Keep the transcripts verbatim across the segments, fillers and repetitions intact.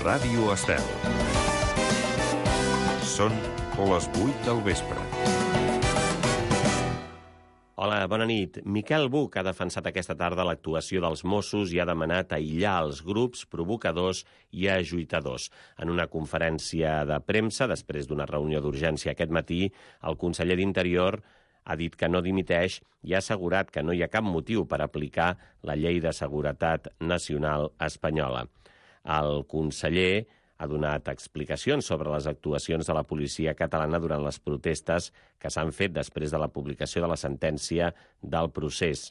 Ràdio Estel. Són les vuit del vespre. Hola, bona nit. Miquel Buch ha defensat aquesta tarda l'actuació dels Mossos i ha demanat aïllar els grups provocadors i ajuitadors. En una conferència de premsa, després d'una reunió d'urgència aquest matí, el conseller d'Interior ha dit que no dimiteix i ha assegurat que no hi ha cap motiu per aplicar la Llei de Seguretat Nacional espanyola. El conseller ha donat explicacions sobre les actuacions de la policia catalana durant les protestes que s'han fet després de la publicació de la sentència del procés.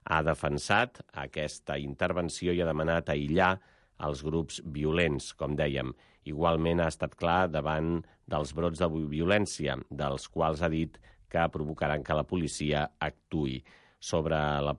Ha defensat aquesta intervenció i ha demanat aïllar els grups violents, com dèiem. Igualment ha estat clar davant dels brots de violència, dels quals ha dit que provocaran que la policia actuï. Sobre la,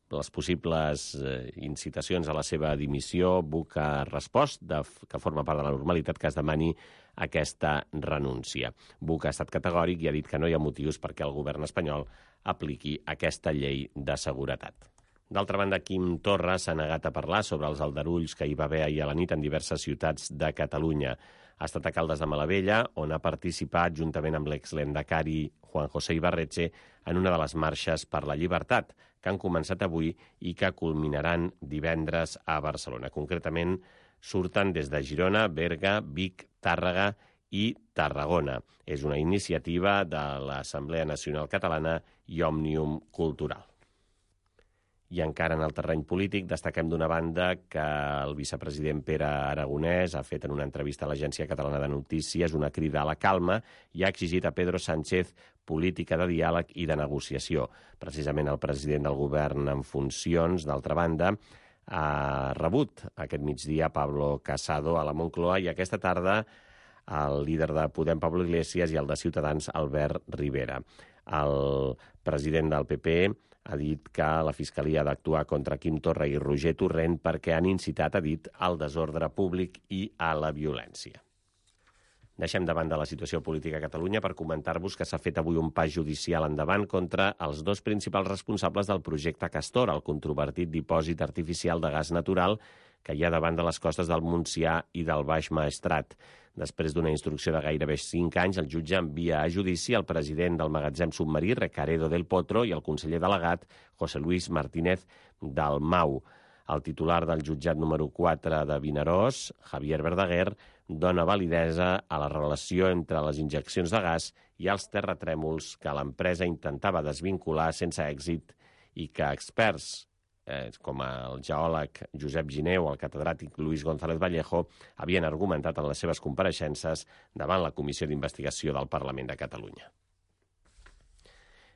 les possibles eh, incitacions a la seva dimissió, Buch ha respost de, que forma part de la normalitat que es demani aquesta renúncia. Buch ha estat categòric i ha dit que no hi ha motius perquè el govern espanyol apliqui aquesta llei de seguretat. D'altra banda, Quim Torra s'ha negat a parlar sobre els aldarulls que hi va haver ahir a la nit en diverses ciutats de Catalunya. Ha estat a Caldes de Malavella, on ha participat juntament amb l'exlendacari Juan José Ibarretxe en una de les marxes per la llibertat, que han començat avui i que culminaran divendres a Barcelona. Concretament, surten des de Girona, Berga, Vic, Tàrrega i Tarragona. És una iniciativa de l'Assemblea Nacional Catalana i Òmnium Cultural. I encara en el terreny polític destaquem d'una banda que el vicepresident Pere Aragonès ha fet en una entrevista a l'Agència Catalana de Notícies una crida a la calma i ha exigit a Pedro Sánchez política de diàleg i de negociació. Precisament el president del govern en funcions, d'altra banda, ha rebut aquest migdia Pablo Casado a la Moncloa i aquesta tarda el líder de Podem, Pablo Iglesias, i el de Ciutadans, Albert Rivera. El president del P P ha dit que la Fiscalia ha d'actuar contra Quim Torra i Roger Torrent perquè han incitat, ha dit, al desordre públic i a la violència. Deixem de banda la situació política a Catalunya per comentar-vos que s'ha fet avui un pas judicial endavant contra els dos principals responsables del projecte Castor, el controvertit dipòsit artificial de gas natural que hi ha davant de les costes del Montsià i del Baix Maestrat. Després d'una instrucció de gairebé cinc anys, el jutge envia a judici el president del magatzem submarí, Recaredo del Potro, i el conseller delegat, José Luis Martínez Dalmau. El titular del jutjat número quatre de Vinaròs, Javier Verdaguer, dona validesa a la relació entre les injeccions de gas i els terratrèmols que l'empresa intentava desvincular sense èxit i que experts Eh, com el geòleg Josep Gineu o el catedràtic Luis González Vallejo, havien argumentat en les seves compareixences davant la Comissió d'Investigació del Parlament de Catalunya.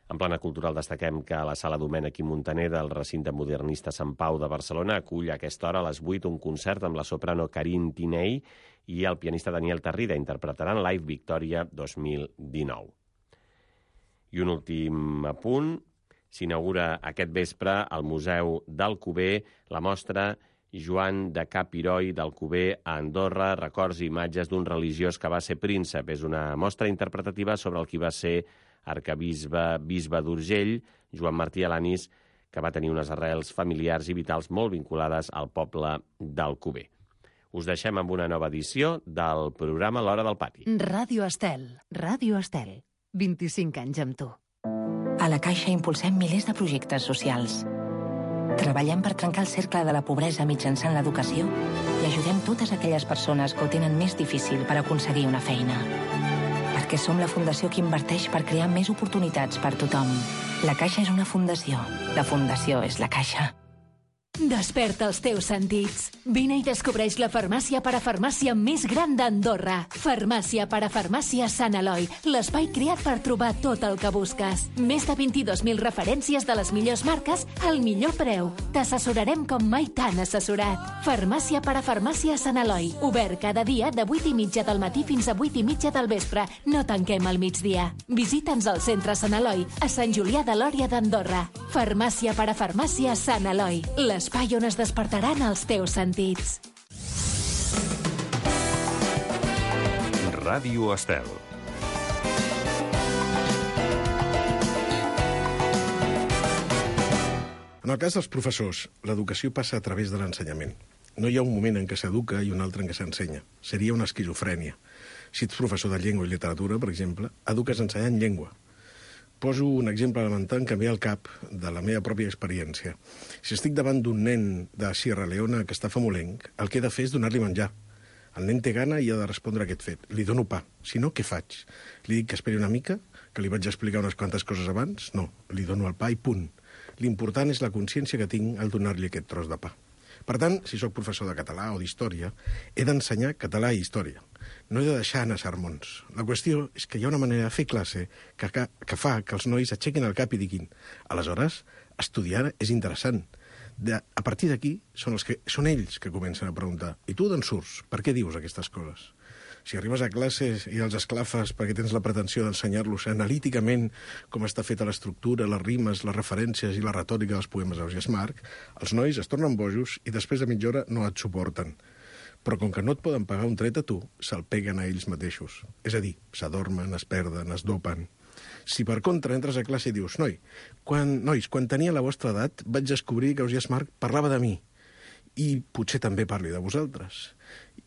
En plana cultural destaquem que la Sala Domènech i Montaner del recinte modernista Sant Pau de Barcelona acull a aquesta hora a les vuit un concert amb la soprano Carine Tiney i el pianista Daniel Tarrida. Interpretaran Live Victoria dos mil dinou. I un últim apunt. S'inaugura aquest vespre al Museu d'Alcover la mostra Joan de Capiroi d'Alcover a Andorra, records i imatges d'un religiós que va ser príncep. És una mostra interpretativa sobre el qui va ser arquebisbe bisbe d'Urgell, Joan Martí Alanis, que va tenir unes arrels familiars i vitals molt vinculades al poble d'Alcover. Us deixem amb una nova edició del programa L'Hora del Pati. Ràdio Estel, Ràdio Estel, vint-i-cinc anys amb tu. A la Caixa impulsem milers de projectes socials. Treballem per trencar el cercle de la pobresa mitjançant l'educació i ajudem totes aquelles persones que ho tenen més difícil per aconseguir una feina. Perquè som la fundació que inverteix per crear més oportunitats per tothom. La Caixa és una fundació. La fundació és la Caixa. Desperta els teus sentits. Vine i descobreix la farmàcia parafarmàcia més gran d'Andorra. Farmàcia parafarmàcia Sant Eloi, l'espai creat per trobar tot el que busques. Més de vint-i-dos mil referències de les millors marques al millor preu. T'assessorarem com mai t'han assessorat. Farmàcia parafarmàcia Sant Eloi, obert cada dia de vuit i mitja del matí fins a vuit i mitja del vespre. No tanquem al migdia. Visita'ns al centre Sant Eloi, a Sant Julià de Lòria d'Andorra. Farmàcia parafarmàcia Sant Eloi, l'espai on es despertaran els teus sentits. Ràdio Estel. En el cas dels professors, l'educació passa a través de l'ensenyament. No hi ha un moment en què s'educa i un altre en què s'ensenya. Seria una esquizofrènia. Si ets professor de llengua i literatura, per exemple, eduques ensenyant llengua. Poso un exemple elemental que em ve al cap de la meva pròpia experiència. Si estic davant d'un nen de Sierra Leona que està famolenc, el que he de fer és donar-li menjar. El nen té gana i ha de respondre a aquest fet. Li dono pa. Si no, què faig? Li dic que esperi una mica, que li vaig explicar unes quantes coses abans? No, li dono el pa i punt. L'important és la consciència que tinc al donar-li aquest tros de pa. Per tant, si sóc professor de català o d'història, he d'ensenyar català i història. No he de deixar anar sermons. La qüestió és que hi ha una manera de fer classe que, que, que fa que els nois aixequin el cap i diguin aleshores, estudiar és interessant. De, a partir d'aquí, són, els que, són ells que comencen a preguntar i tu d'on surts? Per què dius aquestes coses? Si arribes a classes i els esclafes perquè tens la pretensió d'ensenyar-los analíticament com està feta l'estructura, les rimes, les referències i la retòrica dels poemes d'Ausiàs Marc, els nois es tornen bojos i després de mitja hora no et suporten. Però com que no et poden pagar un tret a tu, se'l peguen a ells mateixos. És a dir, s'adormen, es perden, es dopen. Si per contra entres a classe i dius «Noi, quan, nois, quan tenia la vostra edat vaig descobrir que Ausiàs Marc parlava de mi i potser també parli de vosaltres».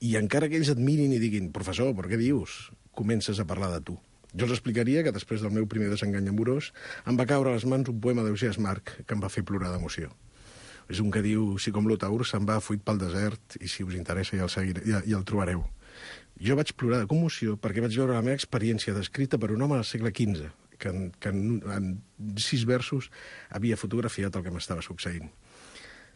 I encara que ells et mirin i diguin «Professor, per què dius?», comences a parlar de tu. Jo els explicaria que després del meu primer desengany amorós em va caure a les mans un poema d'Ausiàs Marc que em va fer plorar d'emoció. És un que diu «Si com l'Otaur se'n va fuit pel desert i si us interessa ja el, seguiré, ja, ja el trobareu». Jo vaig plorar de commoció perquè vaig veure la meva experiència descrita per un home del segle quinze, que en, que en, en sis versos havia fotografiat el que m'estava succeint.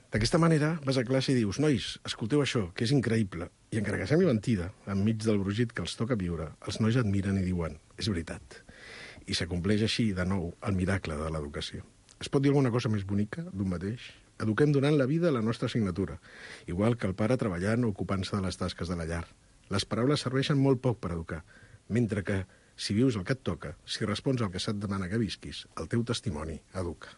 D'aquesta manera vas a classe i dius «Nois, escolteu això, que és increïble». I encara que sembli mentida, enmig del brugit que els toca viure, els nois et miren i diuen «És veritat». I s'acompleix així, de nou, el miracle de l'educació. Es pot dir alguna cosa més bonica d'un mateix? Eduquem donant la vida a la nostra assignatura, igual que el pare treballant o ocupant-se de les tasques de la llar. Les paraules serveixen molt poc per educar, mentre que, si vius el que et toca, si respons al que se't demana que visquis, el teu testimoni educa.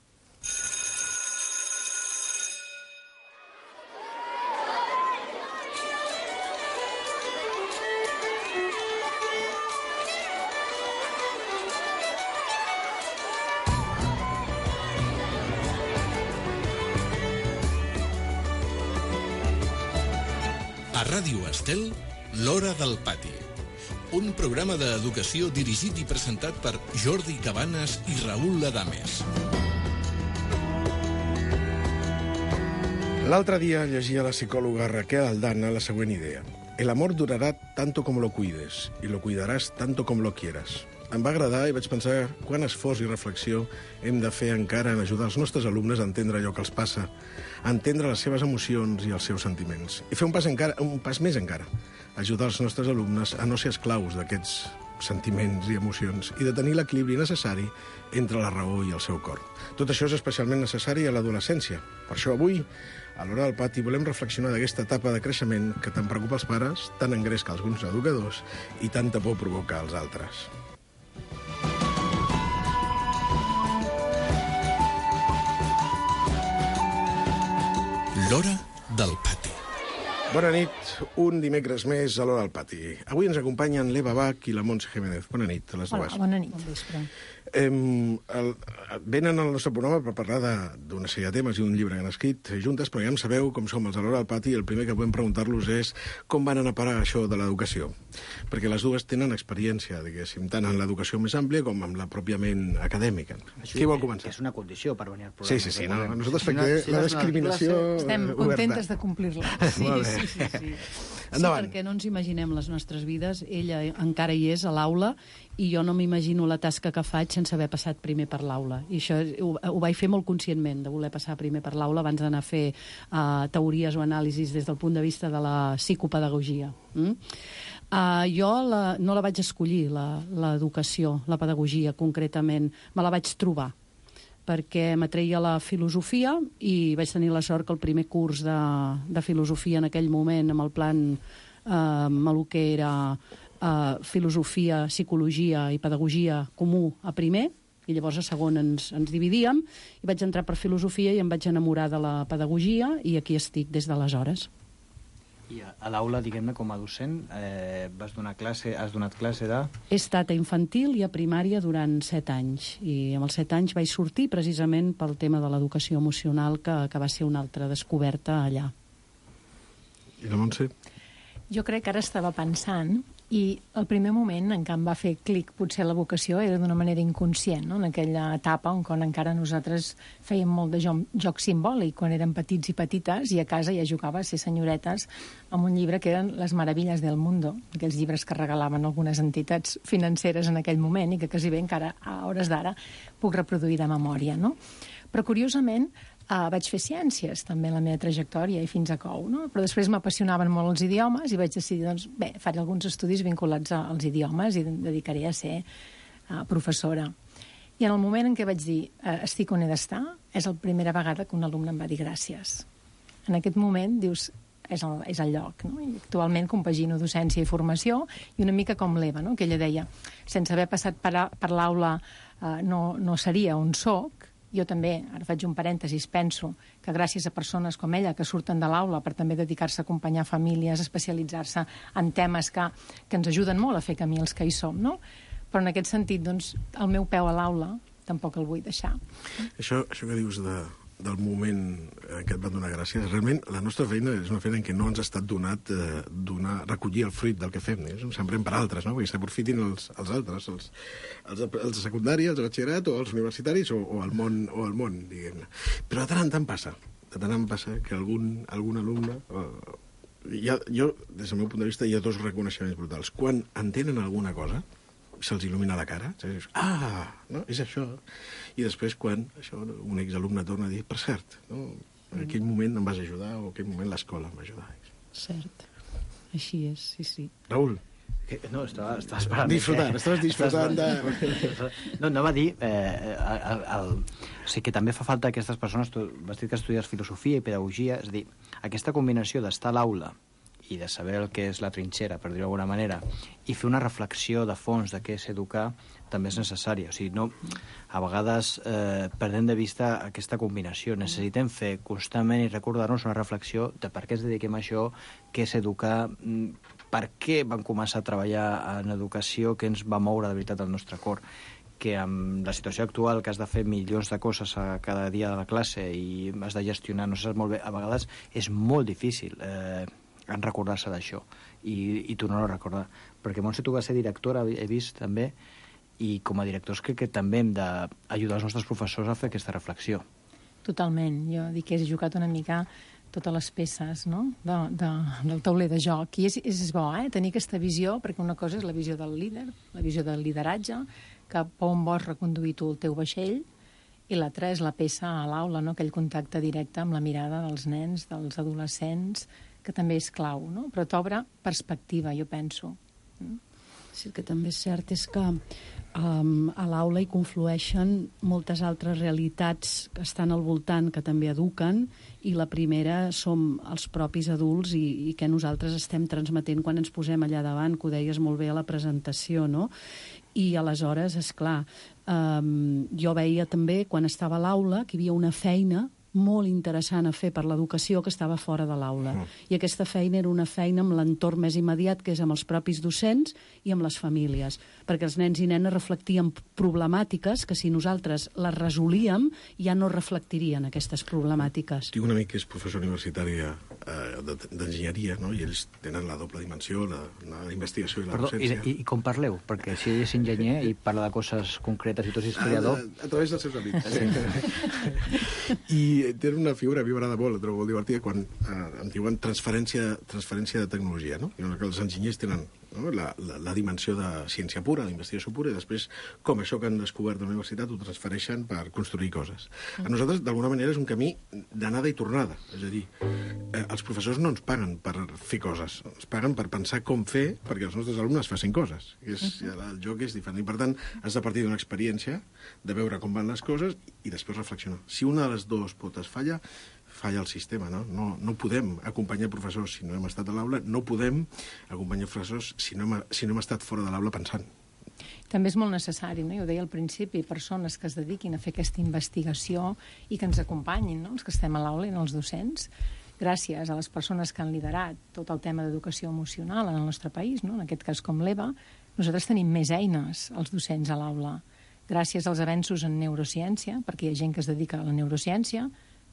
A Ràdio Estel, l'Hora del Pati. Un programa d'educació dirigit i presentat per Jordi Cabanes i Raül Adames. L'altre dia llegia la psicòloga Raquel Aldana la següent idea. El amor durará tanto como lo cuides y lo cuidarás tanto como lo quieras. Em va agradar i vaig pensar quant esforç i reflexió hem de fer encara en ajudar els nostres alumnes a entendre allò que els passa, a entendre les seves emocions i els seus sentiments. I fer un pas, encara, un pas més encara, ajudar els nostres alumnes a no ser esclaus d'aquests sentiments i emocions i de tenir l'equilibri necessari entre la raó i el seu cor. Tot això és especialment necessari a l'adolescència. Per això avui, a l'Hora del Pati, volem reflexionar d'aquesta etapa de creixement que tant preocupa els pares, tant engresca alguns educadors i tanta por provoca als altres. L'Hora del Pati. Bona nit, un dimecres més a l'Hora del Pati. Avui ens acompanyen l'Eva Bach i la Montse Jiménez. Bona nit a les dues. Hola, bona nit. Bon vespre. Eh, el, venen al nostre programa per parlar d'una sèrie de temes i un llibre que han escrit juntes, però ja en sabeu com som els a l'Hora del Pati i el primer que podem preguntar-los és com van anar a parar això de l'educació. Perquè les dues tenen experiència, diguéssim, tant en l'educació més àmplia com en la pròpiament acadèmica. Això Qui vol començar? És una condició per venir al programa. Sí, sí, sí. No, nosaltres fem que la discriminació... Estem contentes de complir-la. Sí, sí, sí, sí, sí. Endavant. Sí, perquè no ens imaginem les nostres vides. Ella encara hi és a l'aula i jo no m'imagino la tasca que faig sense haver passat primer per l'aula. I això ho, ho vaig fer molt conscientment, de voler passar primer per l'aula abans d'anar a fer uh, teories o anàlisis des del punt de vista de la psicopedagogia. Mm? Uh, jo la, no la vaig escollir, l'educació, la, la pedagogia concretament. Me la vaig trobar perquè m'atreia la filosofia i vaig tenir la sort que el primer curs de, de filosofia en aquell moment, amb el plan eh, amb el que era eh, filosofia, psicologia i pedagogia comú a primer, i llavors a segon ens, ens dividíem, i vaig entrar per filosofia i em vaig enamorar de la pedagogia i aquí estic des d'aleshores. I a, a l'aula, diguem-ne, com a docent, eh, vas donar classe, has donat classe de... He estat a infantil i a primària durant set anys, i amb els set anys vaig sortir precisament pel tema de l'educació emocional, que, que va ser una altra descoberta allà. I la Montse? Jo crec que ara estava pensant i el primer moment en què em va fer clic potser la vocació era d'una manera inconscient, no? En aquella etapa on quan encara nosaltres fèiem molt de joc, joc simbòlic, quan érem petits i petites, i a casa ja jugava a ser senyoretes amb un llibre que eren Les meravilles del mundo, aquells llibres que regalaven algunes entitats financeres en aquell moment i que quasi bé encara a hores d'ara puc reproduir de memòria, no? Però curiosament Uh, vaig fer ciències, també, en la meva trajectòria, i fins a cou, no? Però després m'apassionaven molt els idiomes i vaig decidir, doncs, bé, faré alguns estudis vinculats a, als idiomes i em dedicaré a ser uh, professora. I en el moment en què vaig dir uh, estic on he d'estar, és la primera vegada que un alumne em va dir gràcies. En aquest moment, dius, és el, és el lloc, no? I actualment compagino docència i formació, i una mica com l'Eva, no? Que ella deia, sense haver passat per, a, per l'aula uh, no, no seria on soc. Jo també, ara faig un parèntesis, penso que gràcies a persones com ella que surten de l'aula per també dedicar-se a acompanyar famílies, especialitzar-se en temes que, que ens ajuden molt a fer camí els que hi som, no? Però en aquest sentit, doncs, el meu peu a l'aula tampoc el vull deixar. Això, això que dius de, del moment en què et van donar gràcies, realment la nostra feina és una feina en què no ens ha estat donat eh, donar, recollir el fruit del que fem, eh? Sembrem per altres, no? Perquè s'aprofitin els, els altres, els, els, els de secundària, els de batxillerat o els universitaris o, o, el món, o el món, diguem-ne. Però de tant en tant passa, de tant en tant passa que algun, algun alumne... Eh, ha, jo, des del meu punt de vista, hi ha dos reconeixements brutals. Quan entenen alguna cosa, se'ls il·lumina la cara, dius, ah, no, és això. I després quan això, un exalumne torna a dir, per cert, no, en aquell moment em vas ajudar o en aquell moment l'escola em va ajudar. Cert, així és, sí, sí. Raül? No, estava, estava esperant... Disfrutant, eh? estaves disfrutant de... No, anava a dir... Eh, el, el, o sigui, que també fa falta a aquestes persones... Tu vas dir que estudies filosofia i pedagogia, és a dir, aquesta combinació d'estar a l'aula i de saber el que és la trinxera, per dir-ho d'alguna manera, i fer una reflexió de fons de què és educar, també és necessària. O sigui, no, a vegades eh, perdem de vista aquesta combinació. Necessitem fer constantment i recordar-nos una reflexió de per què ens dediquem a això, què és educar, per què vam començar a treballar en educació, què ens va moure de veritat el nostre cor, que amb la situació actual, que has de fer milions de coses a cada dia de la classe i has de gestionar, no saps molt bé, a vegades és molt difícil eh, en recordar-se d'això i, i tornar-ho a recordar. Perquè Montse, tu vas ser directora, he vist també, i com a directors crec que també hem d'ajudar els nostres professors a fer aquesta reflexió. Totalment. Jo dic que he jugat una mica totes les peces, no? de, de, del tauler de joc. I és, és bo, eh? Tenir aquesta visió, perquè una cosa és la visió del líder, la visió del lideratge, cap a on vols reconduir tu el teu vaixell, i l'altra és la peça a l'aula, no? Aquell contacte directe amb la mirada dels nens, dels adolescents, que també és clau, no? Però t'obre perspectiva, jo penso. Sí, el que també és cert és que um, a l'aula hi conflueixen moltes altres realitats que estan al voltant, que també eduquen, i la primera som els propis adults i, i que nosaltres estem transmetent quan ens posem allà davant, que ho deies molt bé a la presentació, no? I aleshores, és clar, um, jo veia també, quan estava a l'aula, que hi havia una feina molt interessant a fer per l'educació que estava fora de l'aula. Mm. I aquesta feina era una feina amb l'entorn més immediat, que és amb els propis docents i amb les famílies, perquè els nens i nenes reflectien problemàtiques que si nosaltres les resolíem ja no reflectirien aquestes problemàtiques. Tinc un amic que és professor universitari eh, d'enginyeria, no? I ells tenen la doble dimensió, la, la investigació i la Perdó, docència. I, i com parleu? Perquè si ell és enginyer i parla de coses concretes i tu ets historiador... A, a, a través dels seus amics. Sí. I té una figura, a mi m'agrada molt, la trobo molt divertida, quan eh, em diuen transferència, transferència de tecnologia, no? I que els enginyers tenen, no? la, la, la dimensió de ciència pura, d'investigació pura, i després com això que han descobert a la universitat ho transfereixen per construir coses. A nosaltres, d'alguna manera, és un camí d'anada i tornada. És a dir, eh, els professors no ens paguen per fer coses, ens paguen per pensar com fer perquè els nostres alumnes facin coses. És, el joc és diferent. I, per tant, has de partir d'una experiència, de veure com van les coses i després reflexionar. Si una de les dues potes falla, falla el sistema, no? No, no podem acompanyar professors si no hem estat a l'aula, no podem acompanyar professors si no hem, si no hem estat fora de l'aula pensant. També és molt necessari, no? Jo ho deia al principi, persones que es dediquin a fer aquesta investigació i que ens acompanyin, no? Els que estem a l'aula i no els docents, gràcies a les persones que han liderat tot el tema d'educació emocional en el nostre país, no? En aquest cas com l'Eva, nosaltres tenim més eines, els docents a l'aula, gràcies als avenços en neurociència, perquè hi ha gent que es dedica a la neurociència,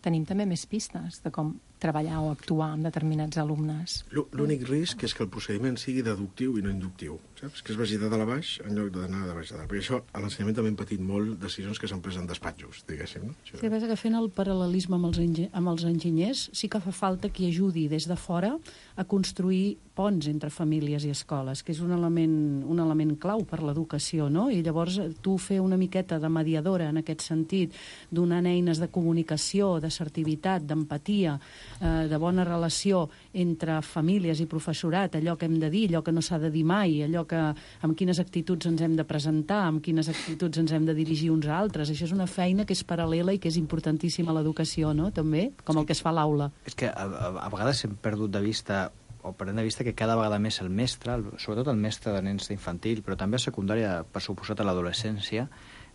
tenim també més pistes de com treballar o actuar amb determinats alumnes. L'únic risc és que el procediment sigui deductiu i no inductiu, saps? Que es vagi de dalt a baix en lloc d'anar de baix a dalt. Perquè això, a l'ensenyament també hem patit molt decisions que s'han pres en despatxos, diguéssim. No? Això... Sí, que fent el paral·lelisme amb els, engi amb els enginyers, sí que fa falta qui ajudi des de fora a construir ponts entre famílies i escoles, que és un element, un element clau per l'educació, no? I llavors tu fer una miqueta de mediadora en aquest sentit, donant eines de comunicació, d'assertivitat, d'empatia, eh, de bona relació entre famílies i professorat, allò que hem de dir, allò que no s'ha de dir mai, allò que amb quines actituds ens hem de presentar, amb quines actituds ens hem de dirigir uns a altres. Això és una feina que és paral·lela i que és importantíssima a l'educació, no? També, com sí. El que es fa a l'aula. És que a, a, a vegades hem perdut de vista o perdem de vista que cada vegada més el mestre, el, sobretot el mestre de nens d'infantil, però també a secundària, per suposat a l'adolescència,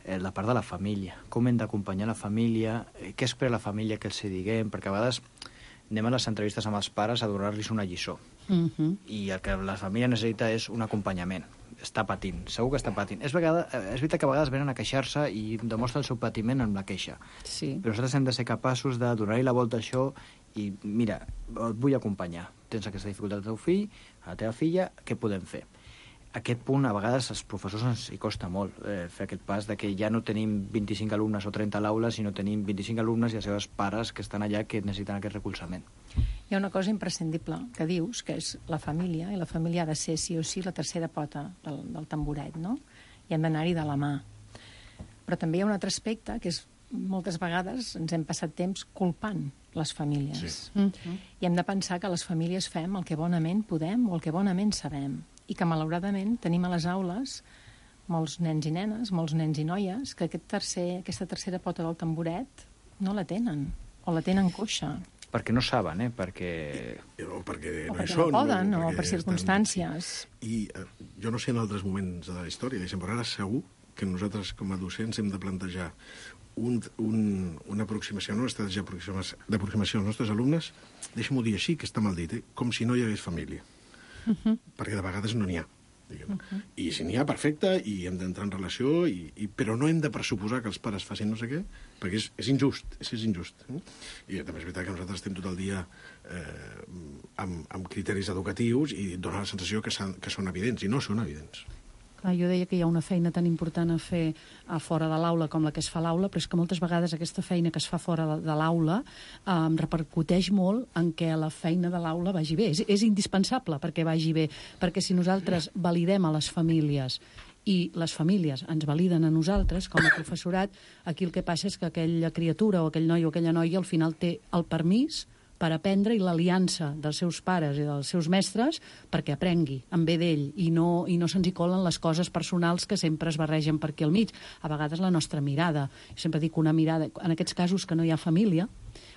eh, la part de la família. Com hem d'acompanyar la família, eh, què espera la família que els diguem, perquè a vegades anem a les entrevistes amb els pares a donar-los una lliçó. Uh -huh. I el que la família necessita és un acompanyament. Està patint, segur que està patint. És, vegada, és veritat que a vegades venen a queixar-se i demostra el seu patiment amb la queixa. Sí. Però nosaltres hem de ser capaços de donar-li la volta a això i, mira, et vull acompanyar. Tens aquesta dificultat al teu fill, a la teva filla, què podem fer? Aquest punt, a vegades, als professors ens hi costa molt eh, fer aquest pas de que ja no tenim vint-i-cinc alumnes o trenta a l'aula, sinó tenim vint-i-cinc alumnes i els seus pares que estan allà que necessiten aquest recolzament. Hi ha una cosa imprescindible que dius, que és la família, i la família ha de ser sí o sí la tercera pota del, del tamboret, no? I hem d'anar-hi de la mà. Però també hi ha un altre aspecte, que és moltes vegades ens hem passat temps culpant les famílies. Sí. Mm-hmm. I hem de pensar que les famílies fem el que bonament podem o el que bonament sabem. I que, malauradament, tenim a les aules molts nens i nenes, molts nens i noies, que aquest tercer, aquesta tercera pota del tamboret no la tenen, o la tenen coixa. Perquè no saben, eh? Perquè... O perquè o no perquè hi són. no poden, o, o per circumstàncies. Estan... I eh, jo no sé en altres moments de la història, però ara segur que nosaltres, com a docents, hem de plantejar un, un, una aproximació, una estratègia d'aproximació als nostres alumnes, deixa'm-ho dir així, que està mal dit, eh? Com si no hi hagués família. Uh-huh. Perquè de vegades no n'hi ha. Uh-huh. I si n'hi ha, perfecte, i hem d'entrar en relació, i, i, però no hem de pressuposar que els pares facin no sé què, perquè és, és injust, és, és injust. Eh? I també és veritat que nosaltres estem tot el dia eh, amb, amb criteris educatius i dona la sensació que, que són evidents, i no són evidents. Clar, jo deia que hi ha una feina tan important a fer a fora de l'aula com la que es fa a l'aula, però és que moltes vegades aquesta feina que es fa fora de, de l'aula eh, repercuteix molt en què la feina de l'aula vagi bé. És, és indispensable perquè vagi bé, perquè si nosaltres validem a les famílies i les famílies ens validen a nosaltres com a professorat, aquí el que passa és que aquella criatura o aquell noi o aquella noia al final té el permís per aprendre i l'aliança dels seus pares i dels seus mestres perquè aprengui en bé d'ell i no, i no se'ns hi colen les coses personals que sempre es barregen per aquí al mig. A vegades la nostra mirada, jo sempre dic una mirada, en aquests casos que no hi ha família,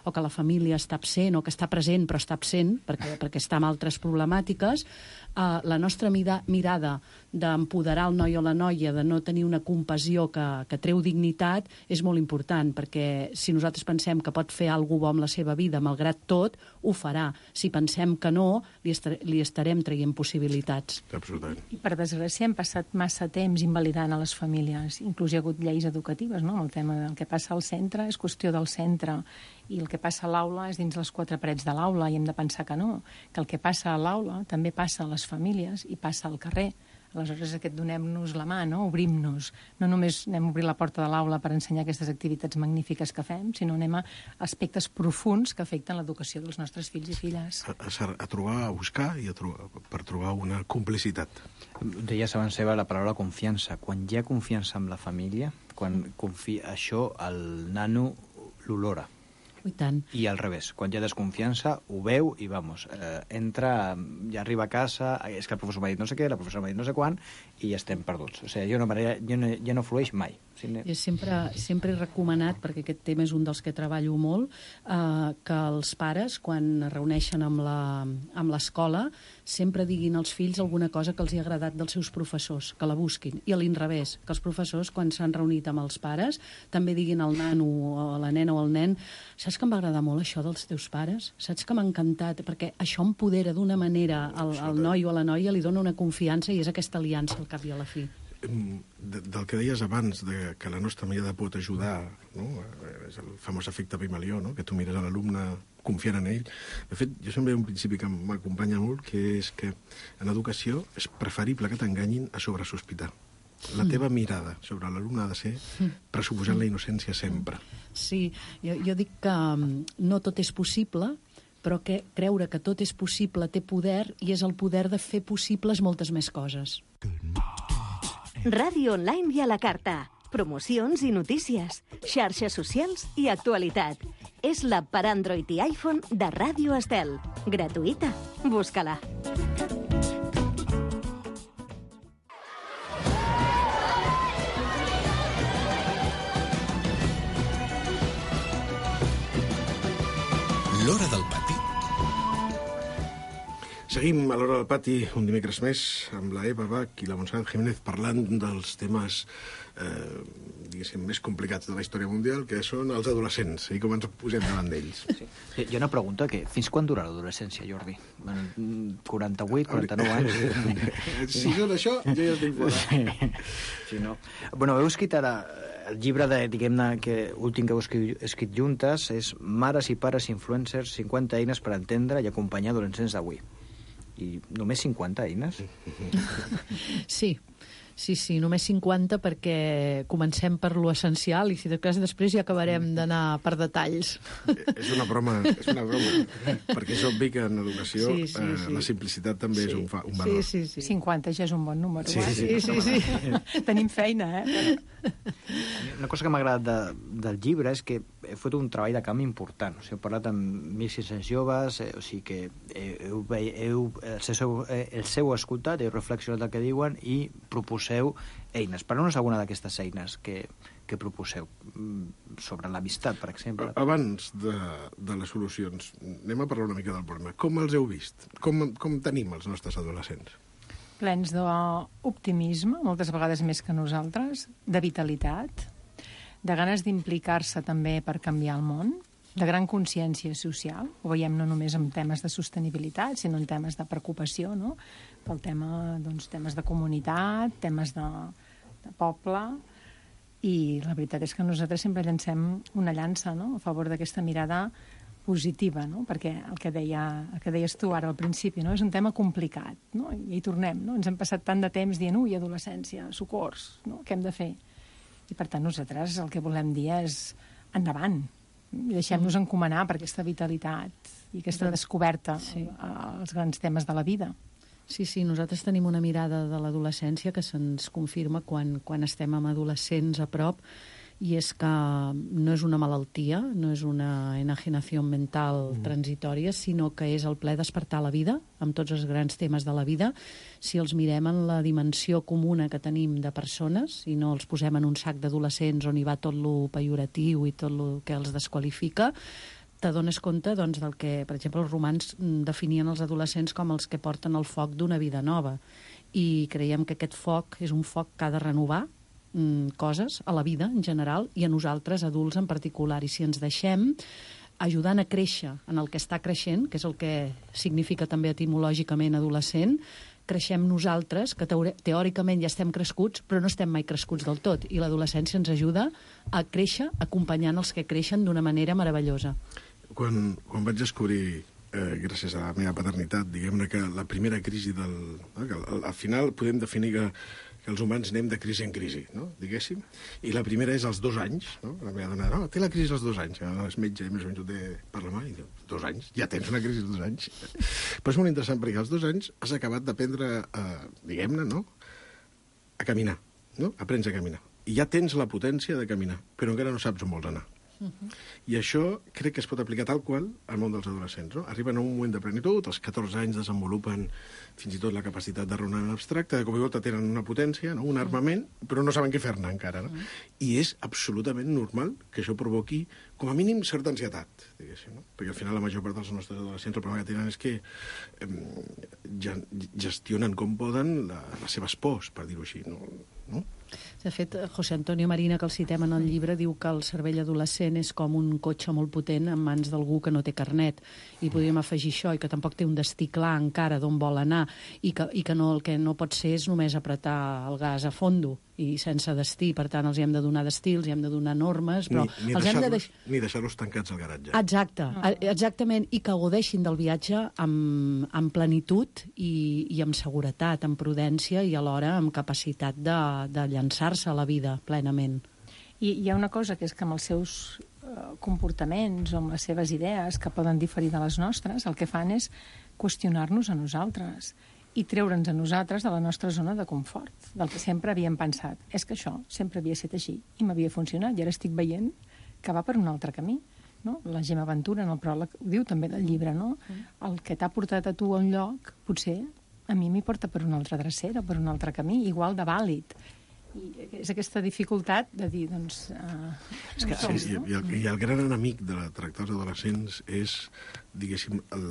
o que la família està absent o que està present però està absent perquè, perquè està amb altres problemàtiques, eh, la nostra mida, mirada d'empoderar el noi o la noia, de no tenir una compassió que, que treu dignitat, és molt important, perquè si nosaltres pensem que pot fer alguna cosa bo amb la seva vida, malgrat tot, ho farà. Si pensem que no, li, estar, li estarem traient possibilitats. Absolutament. I per desgràcia hem passat massa temps invalidant a les famílies. Inclús hi ha hagut lleis educatives, no? El tema del que passa al centre és qüestió del centre, i el que passa a l'aula és dins les quatre parets de l'aula, i hem de pensar que no, que el que passa a l'aula també passa a les famílies i passa al carrer. Aleshores, aquest donem-nos la mà, no? Obrim-nos. No només anem a obrir la porta de l'aula per ensenyar aquestes activitats magnífiques que fem, sinó anem a aspectes profuns que afecten l'educació dels nostres fills i filles. A, a, a trobar, a buscar i a trobar, per trobar una complicitat. Deies abans, Eva, la paraula confiança. Quan hi ha confiança amb la família, quan confia, això el nano l'olora. I tant. I al revés, quan hi ha desconfiança, ho veu i, vamos, eh, entra, ja arriba a casa, és que el professor m'ha dit no sé què, la professora m'ha dit no sé quan, i ja estem perduts. O sigui, ja no, ja no, ja no flueix mai. Sí, jo sempre, sempre he recomanat, perquè aquest tema és un dels que treballo molt, eh, que els pares, quan es reuneixen amb l'escola, sempre diguin als fills alguna cosa que els hi ha agradat dels seus professors, que la busquin. I a l'inrevés, que els professors, quan s'han reunit amb els pares, també diguin al nano o a la nena o al nen: saps que em va agradar molt això dels teus pares? Saps que m'ha encantat? Perquè això empodera d'una manera al, al noi o a la noia, li dona una confiança i és aquesta aliança al cap i a la fi. de, del que deies abans, de que la nostra mirada pot ajudar, no? És el famós efecte Pigmalió, no? Que tu mires a l'alumne confiant en ell. De fet, jo sempre hi ha un principi que m'acompanya molt, que és que en educació és preferible que t'enganyin a sobresospitar. La teva mirada sobre l'alumne ha de ser pressuposant la innocència sempre. Sí, jo, jo dic que no tot és possible, però que creure que tot és possible té poder i és el poder de fer possibles moltes més coses. Ràdio online i a la carta. Promocions i notícies. Xarxes socials i actualitat. És l'app per Android i iPhone de Ràdio Estel. Gratuïta. Busca-la. L'Hora del Pati. Seguim a l'Hora del Pati un dimecres més amb la Eva Bach i la Montserrat Jiménez parlant dels temes eh, diguéssim, més complicats de la història mundial, que són els adolescents i com ens posem davant d'ells. Sí. Hi ha una pregunta, que fins quan dura l'adolescència, Jordi? quaranta-vuit, quaranta-nou anys? Si són això, jo ja estic fora. Sí. Sí, no? Bueno, heu escrit ara el llibre de, diguem-ne, que últim que heu escrit, escrit juntes és Mares i pares influencers, cinquanta eines per entendre i acompanyar adolescents d'avui. I només cinquanta eines? Sí, sí, sí, només cinquanta perquè comencem per lo essencial i si de cas després ja acabarem d'anar per detalls. És una broma, és una broma, perquè és obvi que en educació sí, sí, sí. Eh, la simplicitat també sí. és un, fa, un valor. Sí, sí, sí. cinquanta ja és un bon número. Sí, eh? sí, sí, sí, sí. Tenim feina, eh? Una cosa que m'ha agradat de, del llibre és que heu fet un treball de camp important. O sigui, heu parlat amb mil sis-cents joves, eh, o sigui que heu, heu, el, seu, el seu escoltat, heu reflexionat el que diuen i proposeu eines. Parleu-nos alguna d'aquestes eines que, que proposeu sobre l'amistat, per exemple. Abans de, de les solucions, anem a parlar una mica del problema. Com els heu vist? Com, com tenim els nostres adolescents? Plens d'optimisme, moltes vegades més que nosaltres, de vitalitat, de ganes d'implicar-se també per canviar el món, de gran consciència social. Ho veiem no només en temes de sostenibilitat, sinó en temes de preocupació, no? Pel tema, doncs, temes de comunitat, temes de, de poble. I la veritat és que nosaltres sempre llancem una llança, no?, a favor d'aquesta mirada positiva, no? Perquè el que, deia, el que deies tu ara al principi, no? És un tema complicat, no? I hi tornem, no? Ens hem passat tant de temps dient, ui, adolescència, socors, no? Què hem de fer? I per tant nosaltres el que volem dir és endavant, i deixem-nos encomanar per aquesta vitalitat i aquesta descoberta sí. als grans temes de la vida. Sí, sí, nosaltres tenim una mirada de l'adolescència que se'ns confirma quan, quan estem amb adolescents a prop, i és que no és una malaltia, no és una enajenació mental mm. transitòria, sinó que és el ple despertar la vida, amb tots els grans temes de la vida, si els mirem en la dimensió comuna que tenim de persones, i no els posem en un sac d'adolescents on hi va tot lo pejoratiu i tot el que els desqualifica, t'adones compte doncs, del que, per exemple, els romans definien els adolescents com els que porten el foc d'una vida nova. I creiem que aquest foc és un foc que ha de renovar coses a la vida en general i a nosaltres, adults en particular. I si ens deixem ajudant a créixer en el que està creixent, que és el que significa també etimològicament adolescent, creixem nosaltres, que teòricament ja estem crescuts, però no estem mai crescuts del tot. I l'adolescència ens ajuda a créixer acompanyant els que creixen d'una manera meravellosa. Quan, quan vaig descobrir, eh, gràcies a la meva paternitat, diguem-ne que la primera crisi del... Eh, que al, al final podem definir que que els humans anem de crisi en crisi, no? Diguéssim. I la primera és als dos anys, no? La meva dona, no, té la crisi als dos anys. No, és metge, més o menys ho té per la mà, i diu, dos anys? Ja tens una crisi als dos anys? Però és molt interessant, perquè als dos anys has acabat d'aprendre, eh, diguem-ne, no?, a caminar, no? Aprens a caminar. I ja tens la potència de caminar, però encara no saps on vols anar. Uh-huh. I això crec que es pot aplicar tal qual al món dels adolescents, no? Arriben a un moment de plenitud, als catorze anys desenvolupen fins i tot la capacitat de raonar en abstracte, de cop i volta tenen una potència, no? Un armament, però no saben què fer-ne encara, no? Uh-huh. I és absolutament normal que això provoqui, com a mínim, certa ansietat, diguéssim, no? Perquè al final la major part dels nostres adolescents el problema que tenen és que eh, gestionen com poden la, les seves pors, per dir-ho així, no? no? De fet, José Antonio Marina, que el citem en el llibre, diu que el cervell adolescent és com un cotxe molt potent en mans d'algú que no té carnet. I podríem afegir això, i que tampoc té un destí clar encara d'on vol anar, i que, i que no, el que no pot ser és només apretar el gas a fondo i sense destí. Per tant, els hi hem de donar destí, els hi hem de donar normes, però ni, ni els hem de deixar-los deix... ni deixar-los tancats al garatge. Exacte, exactament, i que gaudeixin del viatge amb, amb plenitud i, i amb seguretat, amb prudència i alhora amb capacitat de, de llançar-se a la vida plenament. I hi ha una cosa, que és que amb els seus uh, comportaments o amb les seves idees, que poden diferir de les nostres, el que fan és qüestionar-nos a nosaltres i treure'ns a nosaltres de la nostra zona de confort, del que sempre havíem pensat. És que això sempre havia estat així i m'havia funcionat, i ara estic veient que va per un altre camí. No? La Gemma Ventura, en el pròleg, ho diu també del llibre, no? El que t'ha portat a tu a un lloc, potser a mi m'hi porta per una altra drecera, per un altre camí, igual de vàlid. I és aquesta dificultat de dir, doncs... Uh, és que, som, sí, no? i, el, I el gran enemic de la tractar els adolescents és, diguéssim, el,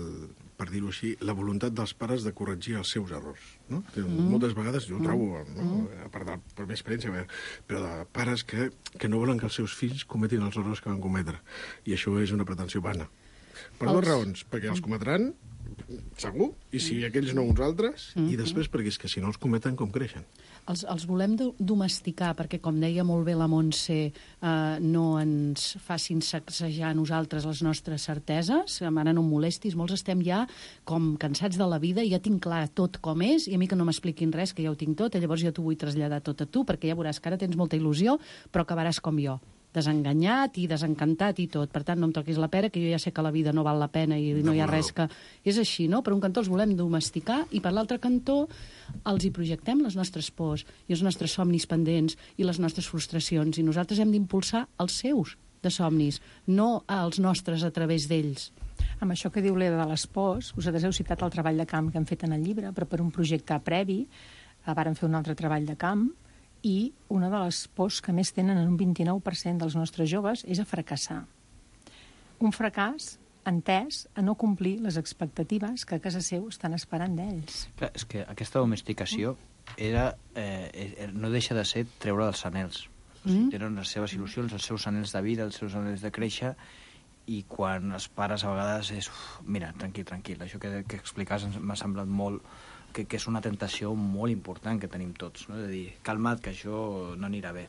per dir-ho així, la voluntat dels pares de corregir els seus errors. No? Mm. Moltes vegades, jo ho trobo, no? Mm. a part de la meva experiència, però de pares que, que no volen que els seus fills cometin els errors que van cometre. I això és una pretensió vana. Per els... dues raons, perquè els cometran, segur, i si aquells no uns altres, mm -hmm. i després perquè és que si no els cometen, com creixen? Els, els volem domesticar perquè, com deia molt bé la Montse, eh, no ens facin sacsejar a nosaltres les nostres certeses. Ara no em molestis, molts estem ja com cansats de la vida i ja tinc clar tot com és, i a mi que no m'expliquin res, que ja ho tinc tot, i llavors jo t'ho vull traslladar tot a tu, perquè ja veuràs que ara tens molta il·lusió, però acabaràs com jo, desenganyat i desencantat i tot. Per tant, no em toquis la pera, que jo ja sé que la vida no val la pena i no hi ha res que... És així, no? Per un cantó els volem domesticar i per l'altre cantó els hi projectem les nostres pors i els nostres somnis pendents i les nostres frustracions, i nosaltres hem d'impulsar els seus de somnis, no els nostres a través d'ells. Amb això que diu l'Eda de les pors, vosaltres heu citat el treball de camp que hem fet en el llibre, però per un projecte previ vàrem fer un altre treball de camp, i una de les pors que més tenen en un vint-i-nou per cent dels nostres joves és a fracassar. Un fracàs entès a no complir les expectatives que a casa seu estan esperant d'ells. Clar, és que aquesta domesticació era, eh, no deixa de ser treure els anhels. O sigui, tenen les seves il·lusions, els seus anhels de vida, els seus anhels de créixer, i quan els pares a vegades és... Uf, mira, tranquil, tranquil, això que, que explicaves m'ha semblat molt... Que, que és una tentació molt important que tenim tots, no? De dir, calma't, que això no anirà bé.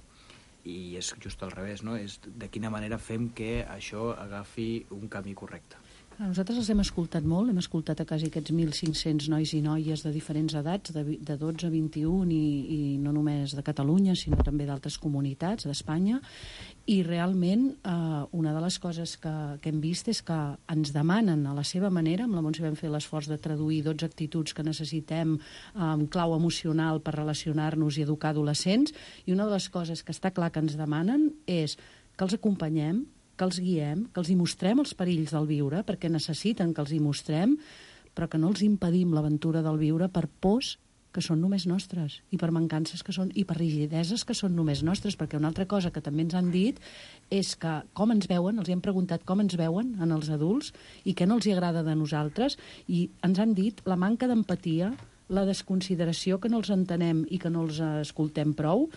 I és just al revés, no? És de quina manera fem que això agafi un camí correcte. Nosaltres els hem escoltat molt, hem escoltat a quasi aquests mil cinc-cents nois i noies de diferents edats, de, de dotze a vint-i-un, i, i no només de Catalunya, sinó també d'altres comunitats d'Espanya, i realment eh, una de les coses que, que hem vist és que ens demanen a la seva manera, amb la Montse vam fer l'esforç de traduir dotze actituds que necessitem en eh, clau emocional per relacionar-nos i educar adolescents, i una de les coses que està clar que ens demanen és que els acompanyem, que els guiem, que els hi mostrem els perills del viure, perquè necessiten que els hi mostrem, però que no els impedim l'aventura del viure per pors que són només nostres, i per mancances que són, i per rigideses que són només nostres, perquè una altra cosa que també ens han dit és que com ens veuen, els hem preguntat com ens veuen en els adults i què no els hi agrada de nosaltres, i ens han dit la manca d'empatia, la desconsideració, que no els entenem i que no els escoltem prou,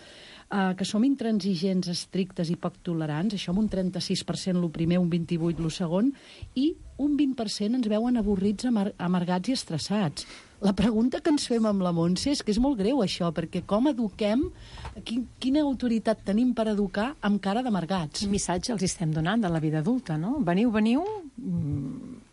Uh, que som intransigents, estrictes i poc tolerants, això amb un trenta-sis per cent el primer, un vint-i-vuit per cent el segon, i un vint per cent ens veuen avorrits, amar amargats i estressats. La pregunta que ens fem amb la Montse és que és molt greu això, perquè com eduquem, quin, quina autoritat tenim per educar amb cara d'amargats? Quin missatge els estem donant de la vida adulta, no? Veniu, veniu,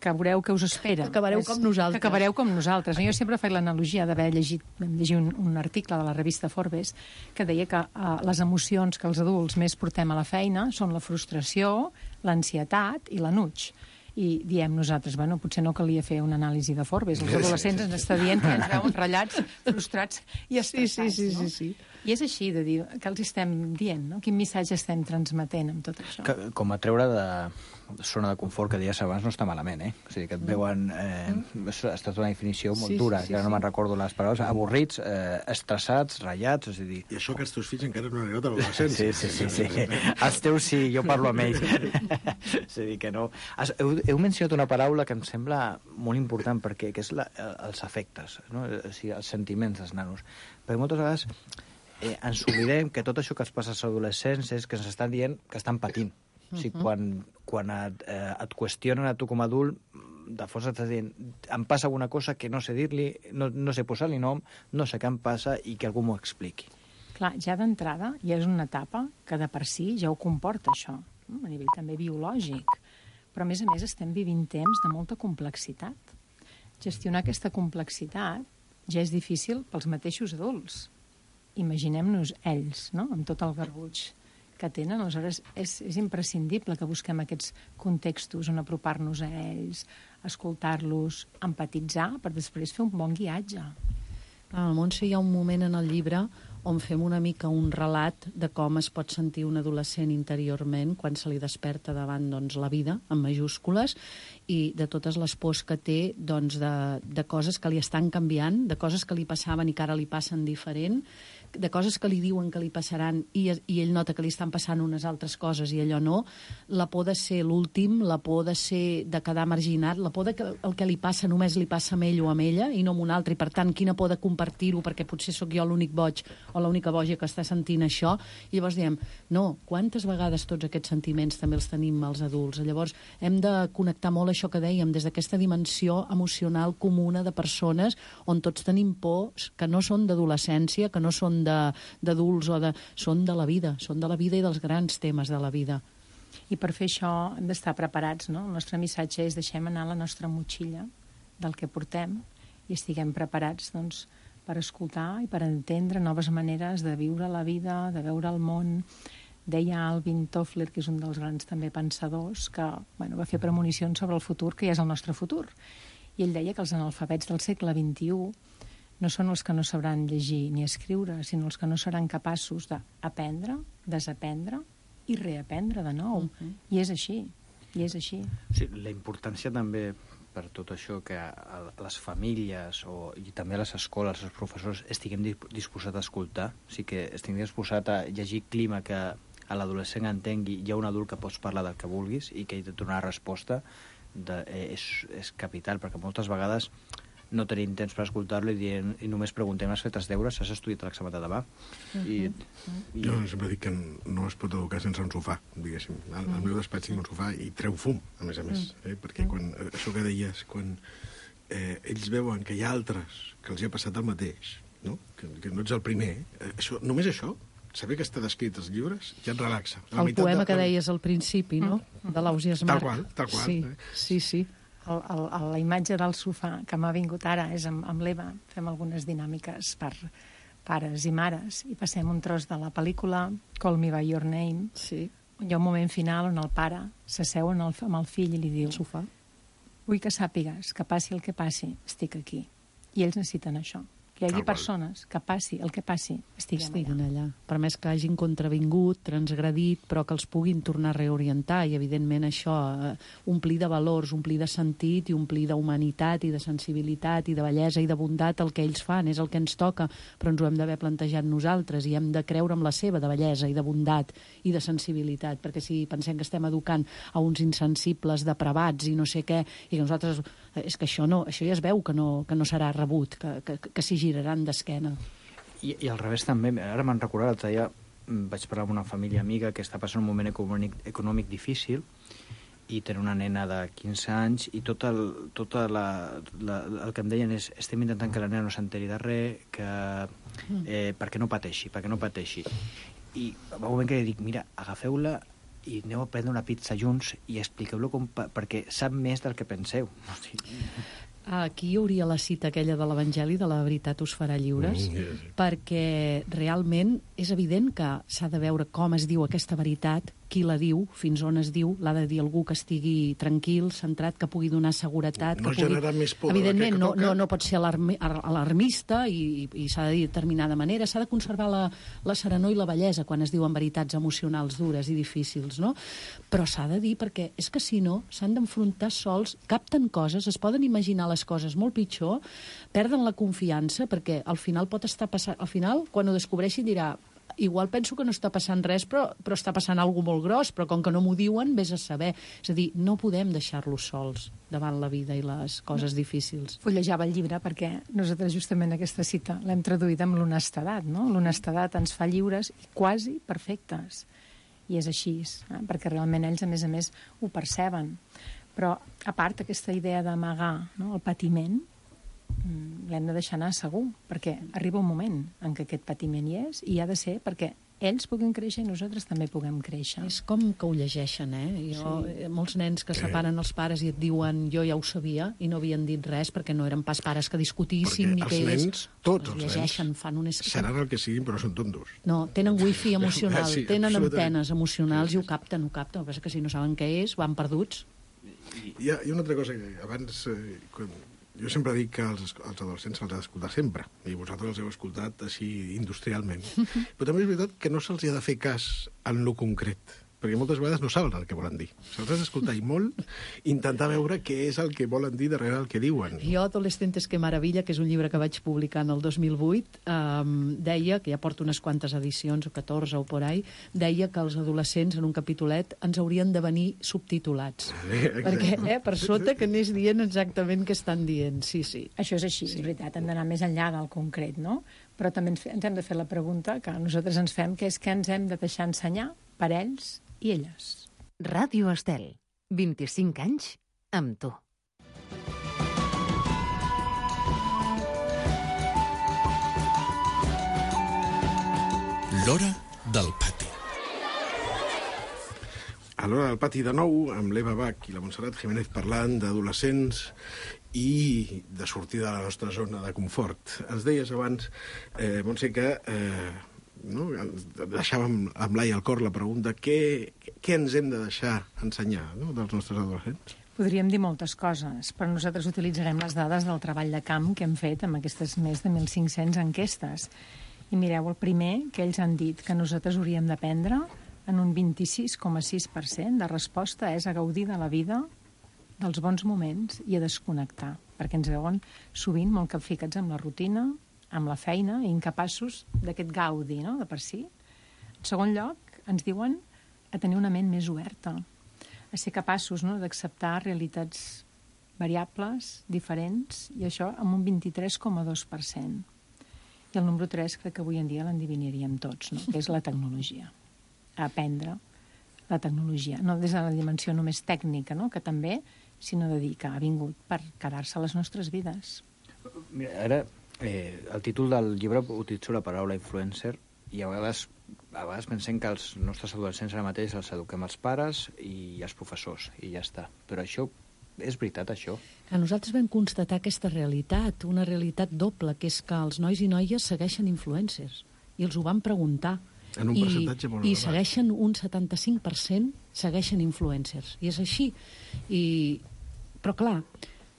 que veureu què us espera. Que acabareu és, com nosaltres. Que acabareu com nosaltres. Jo sempre faig l'analogia d'haver llegit, vam llegir un, un article de la revista Forbes que deia que uh, les emocions que els adults més portem a la feina són la frustració, l'ansietat i l'enuig. I diem nosaltres, bueno, potser no calia fer una anàlisi de Forbes. Els adolescents ens està dient que ens veuen ratllats, frustrats i estressats, sí, sí, sí, no? sí, sí. I és així de dir, que els estem dient, no? Quin missatge estem transmetent amb tot això? Que, com a treure de zona de confort que deies abans no està malament, eh? O sigui, que et veuen... Eh, mm. Ha estat una definició molt sí, dura, sí, sí, que ara no me'n recordo les paraules, avorrits, eh, estressats, ratllats, és a dir... I això que els teus fills encara no han arribat a l'adolescència. Sí, sí, sí, sí. Els teus sí, jo parlo amb ells. És a dir, que no... Heu, heu mencionat una paraula que em sembla molt important, perquè que és la, els afectes, no? O sigui, els sentiments dels nanos. Perquè moltes vegades eh, ens oblidem que tot això que es passa als adolescents és que ens estan dient que estan patint. Uh-huh. O sigui, quan, quan et, eh, et qüestionen a tu com a adult, de fons estàs dient, em passa alguna cosa que no sé dir-li, no, no sé posar-li nom, no sé què em passa i que algú m'ho expliqui. Clar, ja d'entrada ja és una etapa que de per si ja ho comporta això, no? A nivell també biològic. Però a més a més estem vivint temps de molta complexitat. Gestionar aquesta complexitat ja és difícil pels mateixos adults. Imaginem-nos ells, no?, amb tot el garbuix que tenen. Aleshores, és, és imprescindible que busquem aquests contextos on apropar-nos a ells, escoltar-los, empatitzar, per després fer un bon guiatge. Al Montse hi ha un moment en el llibre on fem una mica un relat de com es pot sentir un adolescent interiorment quan se li desperta davant, doncs, la vida, en majúscules, i de totes les pors que té, doncs, de, de coses que li estan canviant, de coses que li passaven i que ara li passen diferent, de coses que li diuen que li passaran i, i ell nota que li estan passant unes altres coses i allò no, la por de ser l'últim, la por de ser de quedar marginat, la por de que el que li passa només li passa a ell o a ella i no a un altre, i per tant quina por de compartir-ho perquè potser sóc jo l'únic boig o l'única boja que està sentint això, i llavors diem, no, quantes vegades tots aquests sentiments també els tenim els adults? Llavors hem de connectar molt això que dèiem, des d'aquesta dimensió emocional comuna de persones on tots tenim pors que no són d'adolescència, que no són d'adults, o de, són de la vida, són de la vida i dels grans temes de la vida. I per fer això hem d'estar preparats, no? El nostre missatge és deixem anar la nostra motxilla del que portem i estiguem preparats, doncs, per escoltar i per entendre noves maneres de viure la vida, de veure el món. Deia Alvin Toffler, que és un dels grans també pensadors, que bueno, va fer premonicions sobre el futur, que ja és el nostre futur. I ell deia que els analfabets del segle vint-i-u no són els que no sabran llegir ni escriure, sinó els que no seran capaços d'aprendre, desaprendre i reaprendre de nou. Uh-huh. I és així, i és així. Sí, la importància també per tot això que a les famílies o, i també a les escoles, els professors, estiguem disposats a escoltar, o sigui que estiguem disposats a llegir clima que a l'adolescent entengui, hi ha un adult que pots parlar del que vulguis i que hi ha de donar resposta, de, eh, és, és capital, perquè moltes vegades no tenim temps per escoltar-lo i, dient, i només preguntem, has fet els deures, has estudiat l'examen de demà? Uh-huh. I, i... Jo sempre dic que no es pot educar sense un sofà, diguéssim. Al, al meu despatx tinc un sofà i treu fum, a més a més. Eh? Perquè quan, això que deies, quan eh, ells veuen que hi ha altres que els hi ha passat el mateix, no? Que, que no ets el primer, eh, això, només això, saber que està descrit als llibres, ja et relaxa. El poema de... que deies al principi, no? De l'Ausias Marc. Tal qual, tal qual. Sí, eh? sí, sí. El, el, la imatge del sofà que m'ha vingut ara és amb, amb l'Eva. Fem algunes dinàmiques per pares i mares i passem un tros de la pel·lícula Call Me By Your Name. Sí. Hi ha un moment final on el pare s'asseu amb el fill i li diu, sofà, vull que sàpigues que passi el que passi, estic aquí. I ells necessiten això. Que hi hagi Ah, persones que passi el que passi, estiguem, estiguen allà. allà. Per més que hagin contravingut, transgredit, però que els puguin tornar a reorientar i, evidentment, això, eh, omplir de valors, omplir de sentit i omplir d'humanitat i de sensibilitat i de bellesa i de bondat el que ells fan, és el que ens toca, però ens ho hem d'haver plantejat nosaltres i hem de creure en la seva de bellesa i de bondat i de sensibilitat, perquè si pensem que estem educant a uns insensibles depravats i no sé què, i que nosaltres... És que això, no, això ja es veu que no, que no serà rebut, que, que, que s'hi giraran d'esquena. I, I al revés també, ara me'n recordat, l'altre dia vaig parlar amb una família amiga que està passant un moment econòmic, econòmic difícil i té una nena de quinze anys i tot el, tota la, la, el que em deien és estem intentant que la nena no s'enteri de res, que, eh, perquè no pateixi, perquè no pateixi. I va un moment que dic, mira, agafeu-la i aneu a prendre una pizza junts i expliqueu-lo com, perquè sap més del que penseu. Hosti. Aquí hi hauria la cita aquella de l'Evangeli de la veritat us farà lliures, Mm, yes. perquè realment és evident que s'ha de veure com es diu aquesta veritat, qui la diu, fins on es diu, l'ha de dir algú que estigui tranquil, centrat, que pugui donar seguretat. No que pugui... generar més por. Evidentment, que no, toca. no, no pot ser alarmi, alarmista i, i, i s'ha de dir de determinada manera, s'ha de conservar la, la serenor i la bellesa quan es diuen veritats emocionals dures i difícils, no? Però s'ha de dir perquè és que si no s'han d'enfrontar sols, capten coses, es poden imaginar les coses molt pitjor, perden la confiança perquè al final pot estar passant, al final quan ho descobreixin dirà igual penso que no està passant res, però, però està passant alguna molt gros, però com que no m'ho diuen, vés a saber. És a dir, no podem deixar-los sols davant la vida i les coses no. difícils. Fullejava el llibre perquè nosaltres justament aquesta cita l'hem traduït amb l'honestedat, no? L'honestedat ens fa lliures i quasi perfectes. I és així, eh? Perquè realment ells, a més a més, ho perceben. Però, a part, aquesta idea d'amagar, no? El patiment, l'hem de deixar anar segur, perquè arriba un moment en què aquest patiment hi és i ha de ser perquè ells puguin créixer i nosaltres també puguem créixer. És com que ho llegeixen, eh? Jo, sí. Molts nens que separen els pares i et diuen jo ja ho sabia i no havien dit res perquè no eren pas pares que discutissin perquè ni que els ells... nens, tots els llegeixen, nens, fan un... seran el que siguin però són tontos. No, tenen wifi emocional, sí, tenen antenes emocionals sí, sí. i ho capten, ho capten. El que passa que si no saben què és, van perduts. Hi ha, hi ha una altra cosa que abans... Eh, quan, jo sempre dic que als, als adolescents se'ls ha d'escoltar sempre, i vosaltres els heu escoltat així industrialment. Però també és veritat que no se'ls ha de fer cas en lo concret, perquè moltes vegades no saben el que volen dir. Se'ls has d'escoltar i molt, intentar veure què és el que volen dir darrere el que diuen. Jo, Adolescentes que maravilla, que és un llibre que vaig publicar en el dos mil vuit, eh, deia, que ja porto unes quantes edicions, o catorze o por ahí, deia que els adolescents, en un capitolet, ens haurien de venir subtitulats. Sí, perquè, eh, per sota, que anés dient exactament què estan dient. Sí, sí. Això és així, sí. És veritat, hem d'anar més enllà del concret, no? Però també ens hem de fer la pregunta que nosaltres ens fem, que és què ens hem de deixar ensenyar per ells i elles. Ràdio Estel, vint-i-cinc anys amb tu. L'hora del pati. A l'hora del pati de nou, amb l'Eva Bach i la Montserrat Jiménez parlant d'adolescents i de sortir de la nostra zona de confort. Ens deies abans, eh, Montse, que... Eh, no? deixàvem amb l'ai al cor la pregunta què, què ens hem de deixar ensenyar, no? dels nostres adolescents? Podríem dir moltes coses, però nosaltres utilitzarem les dades del treball de camp que hem fet amb aquestes més de mil cinc-cents enquestes. I mireu, el primer que ells han dit que nosaltres hauríem d'aprendre en un vint-i-sis coma sis per cent de resposta és a gaudir de la vida, dels bons moments i a desconnectar, perquè ens veuen sovint molt capficats amb la rutina, amb la feina, i incapaços d'aquest gaudi, no?, de per si. En segon lloc, ens diuen a tenir una ment més oberta, a ser capaços, no?, d'acceptar realitats variables, diferents, i això amb un vint-i-tres coma dos per cent. I el número tres crec que avui en dia l'endevinaríem tots, no?, que és la tecnologia. A aprendre la tecnologia, no des de la dimensió només tècnica, no?, que també, sinó de dir que ha vingut per quedar-se a les nostres vides. Mira, ara... Eh, el títol del llibre utilitza la paraula influencer i a vegades, a vegades pensem que els nostres adolescents ara mateix els eduquem els pares i els professors i ja està. Però això, és veritat, això? A nosaltres vam constatar aquesta realitat, una realitat doble, que és que els nois i noies segueixen influencers i els ho van preguntar. En un I, percentatge molt i elevat. segueixen un setanta-cinc per cent segueixen influencers. I és així. I, però clar,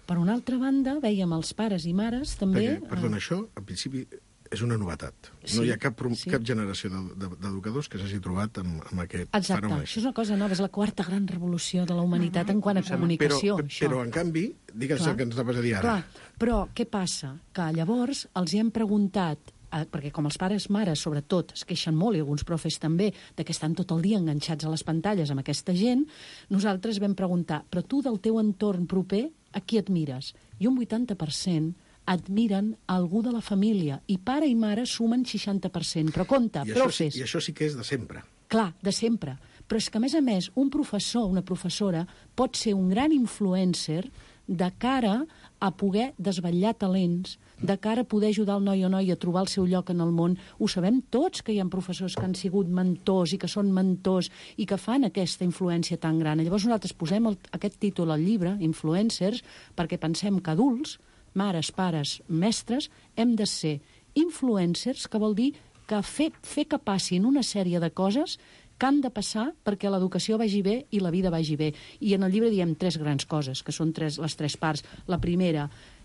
per una altra banda, veiem els pares i mares també... Perquè, perdona, això, en principi, és una novetat. Sí, no hi ha cap, sí. cap generació d'educadors que s'hagi trobat amb, amb aquest Exacte, fenomen. això és una cosa nova, és la quarta gran revolució de la humanitat en quant a comunicació. Però, això. però en canvi, digues el que ens anaves a dir ara. Clar, però què passa? Que llavors els hi hem preguntat, eh, perquè com els pares, mares, sobretot, es queixen molt, i alguns profes també, de que estan tot el dia enganxats a les pantalles amb aquesta gent, nosaltres vam preguntar, però tu del teu entorn proper, a qui admires? I un vuitanta per cent admiren algú de la família, i pare i mare sumen seixanta per cent. Però compte, I profes... Això sí, I això sí que és de sempre. Clar, de sempre. Però és que, a més a més, un professor, una professora, pot ser un gran influencer de cara a poder desvetllar talents, de cara a poder ajudar el noi o noia a trobar el seu lloc en el món. Ho sabem tots, que hi ha professors que han sigut mentors i que són mentors i que fan aquesta influència tan gran. Llavors nosaltres posem el, aquest títol al llibre, Influencers, perquè pensem que adults, mares, pares, mestres, hem de ser influencers, que vol dir que fer, fer que passin una sèrie de coses que han de passar perquè l'educació vagi bé i la vida vagi bé. I en el llibre diem tres grans coses, que són tres, les tres parts. La primera,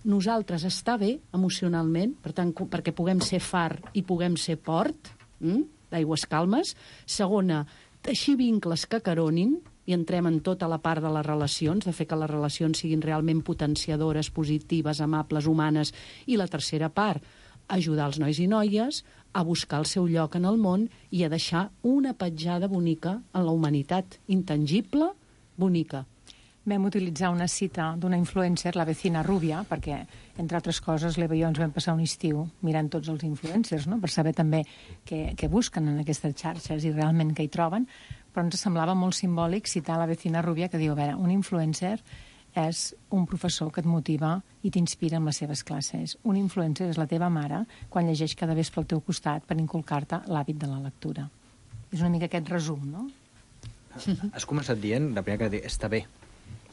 nosaltres estar bé emocionalment, per tant, perquè puguem ser far i puguem ser port, hm? d'aigües calmes. Segona, teixir vincles que caronin, i entrem en tota la part de les relacions, de fer que les relacions siguin realment potenciadores, positives, amables, humanes. I la tercera part, ajudar els nois i noies a buscar el seu lloc en el món i a deixar una petjada bonica en la humanitat, intangible, bonica. Vam utilitzar una cita d'una influencer, la vecina Rubia, perquè, entre altres coses, l'Eva i jo ens vam passar un estiu mirant tots els influencers, no?, per saber també què, què busquen en aquestes xarxes i realment què hi troben, però ens semblava molt simbòlic citar la vecina Rubia, que diu, a veure, un influencer és un professor que et motiva i t'inspira en les seves classes. Un influencer és la teva mare quan llegeix cada vespre al teu costat per inculcar-te l'hàbit de la lectura. És una mica aquest resum, no? Has començat dient, la primera que està bé.